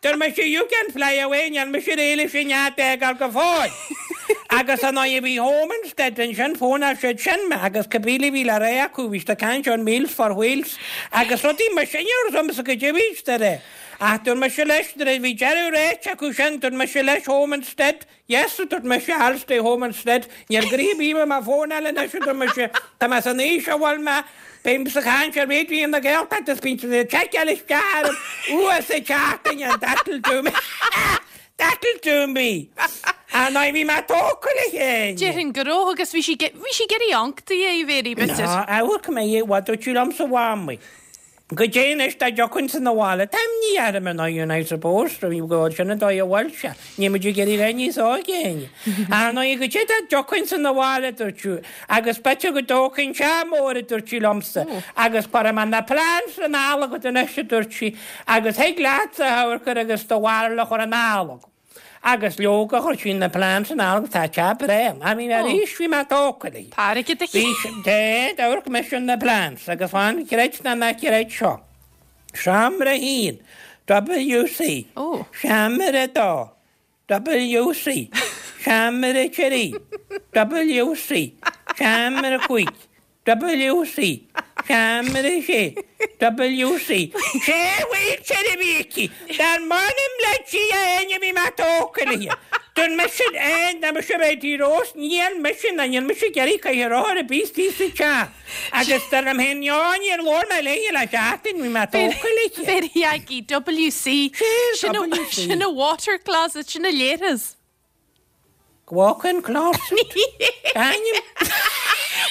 dúirt mise you can fly away, níl mise réidh leis an nead a fhágáil go fóill. Agus an aghaidh bhí Home Instead ansin, fónáil siad sin mé, agus cibé a bhí le rá acu, bhí siad ag caint ar Meals for Wheels, agus rudaí mar sin, ní raibh agamsa goidé a bhí siad a rá. Ach dúirt mise leis, nuair a bhí deireadh ráite acu sin, dúirt mise leis Home Instead, Yes, a dúirt mise, I'll stay home instead. Níl gnoithe ar bith mé mo fónáil anois, a dúirt mise, tá mé san aois a bhfuil mé, bím sa chaint ar Raidió na Gaeltachta is bíonn siad ag tseiceáil isteach orm uair sa tseachtain and that'll do me. That'll do me. Ar ndóigh bhí mé tógtha le chéile. Déarfainn go raibh agus bhí sí bhí sí ag iarraidh iontaí é, a Mhéirí, b'fhéidir. Ná, amharc mé, bhuel, dúirt sí liomsa, a Mhamaí. Goidé anois dá dtiocfainnse 'na bhaile, tá imní orm ar ndóigh, and I suppose, go bhfuil sin an dóigh a bhfuil sé, níl muid ag iarraidh a bheith níos óige éinne. Ar ndóigh, goidé dá dtiocfainnse 'na bhaile, a dúirt sí, agus b'fhéidir go dtógfainn teach mór, a dúirt sí liomsa, agus cuirfidh mé na plants anall agat anois, a dúirt sí, agus thig leatsa a amharc air agus do bharúil a chur anall agam. Agus leoga, chuir sí na plants anall agus tá teach breá ann. I mean, arís bhí mé tógtha léi. Tá airgead aici. Bhí sí, dé, d'amharc mise na plants agus fan, creid nó ná creid seo. Seomra a haon, WC. Ó. Seomra a dó, WC. Seomra a trí, WC. Seomra a cúig, WC, Seomra a sé, WC. Sé wheelchair a bhí aici. Dar m'anam le Dia éinne bhí mé tógtha léi. Dúirt mise aon dá mise bheith tí Rós, níl mise ná níl mise ag iarraidh caitheamh rothar ar bith istigh sa teach. Agus dar liom féin, no, níor labhair mé léi le seachtain, bhí mé tógtha léi. Mhéirí Aggie, WC. Sé WC. Sin a water closet, sin a leithreas. Walk-in closet. Ainm.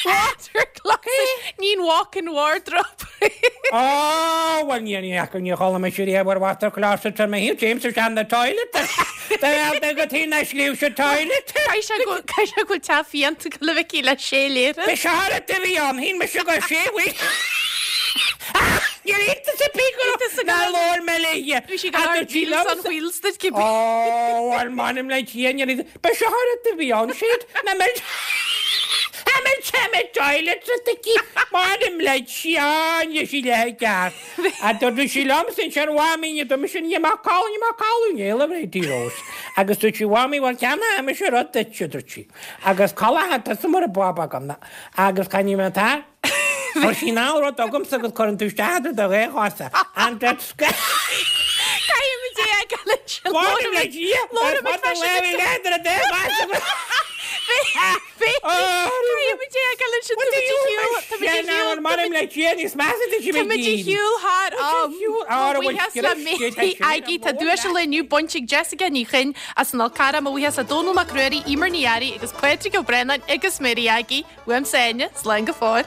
Water closet. Níl walk-in wardrobe. Ó, bhuel ní ní fhaca ní chuala mise riamh ar water closet ar mo thaobh, James is an the toilet. Tá go tí na scríobh sa toilet. Caithfidh sé go caithfidh sé go bhfuil teach fiánta go le bheith le sé leithreas. Bhí seárad a bhí ann, shíl mise go sé bhí. Níl iontas ar bith go raibh nár labhair mé léi. Bhí sí go Ach raibh dúirt sí Wheels on liomsa. Wheels duit cibé. Ó, bhuel, m'anam le Dia, níl iontas. Ba seárad a bhí ann, siad na mil na mil na toilet sa aici. M'anam le Dia, níl sí le ceart. A dúirt sí liomsa ansin, Mhamaí, ní dúirt mise, níl mé ag codladh, níl mé ag codladh, níl a Bhridie Rose. Agus dúirt sí, Mhamaí, bhuel, ceannóidh mise rud duit, a dúirt sí. Agus codladh tusa mar a bob agam. Agus cá ní mé tá? Chuir sí anall rud agamsa agus cuireann tú isteach idir do dhá chosa. And that's Caithfimid é a fhágáil ansin. Mh'anam le Dia, Labhraímid ar fad freisin an agus- lá idir do dhá chosa. Caithfimid é a fhágáil ansin. Tá muid ar shiúl- tá muid ar shiúl- M'anam le Dia níos measa tá Tá muid ar shiúl thar am. Á, Mo bhuíochas le Mary Aggie tá duais an lae inniu bainte ag Jessica Ní Chuinn as an Fhál Carrach, mo bhuíochas le Dónal Mac Ruairí, Emer Ní Fhearraigh agus Pádraig Ó Braonáin agus Mary Aggie. Uaimse Áine, slán go fóill.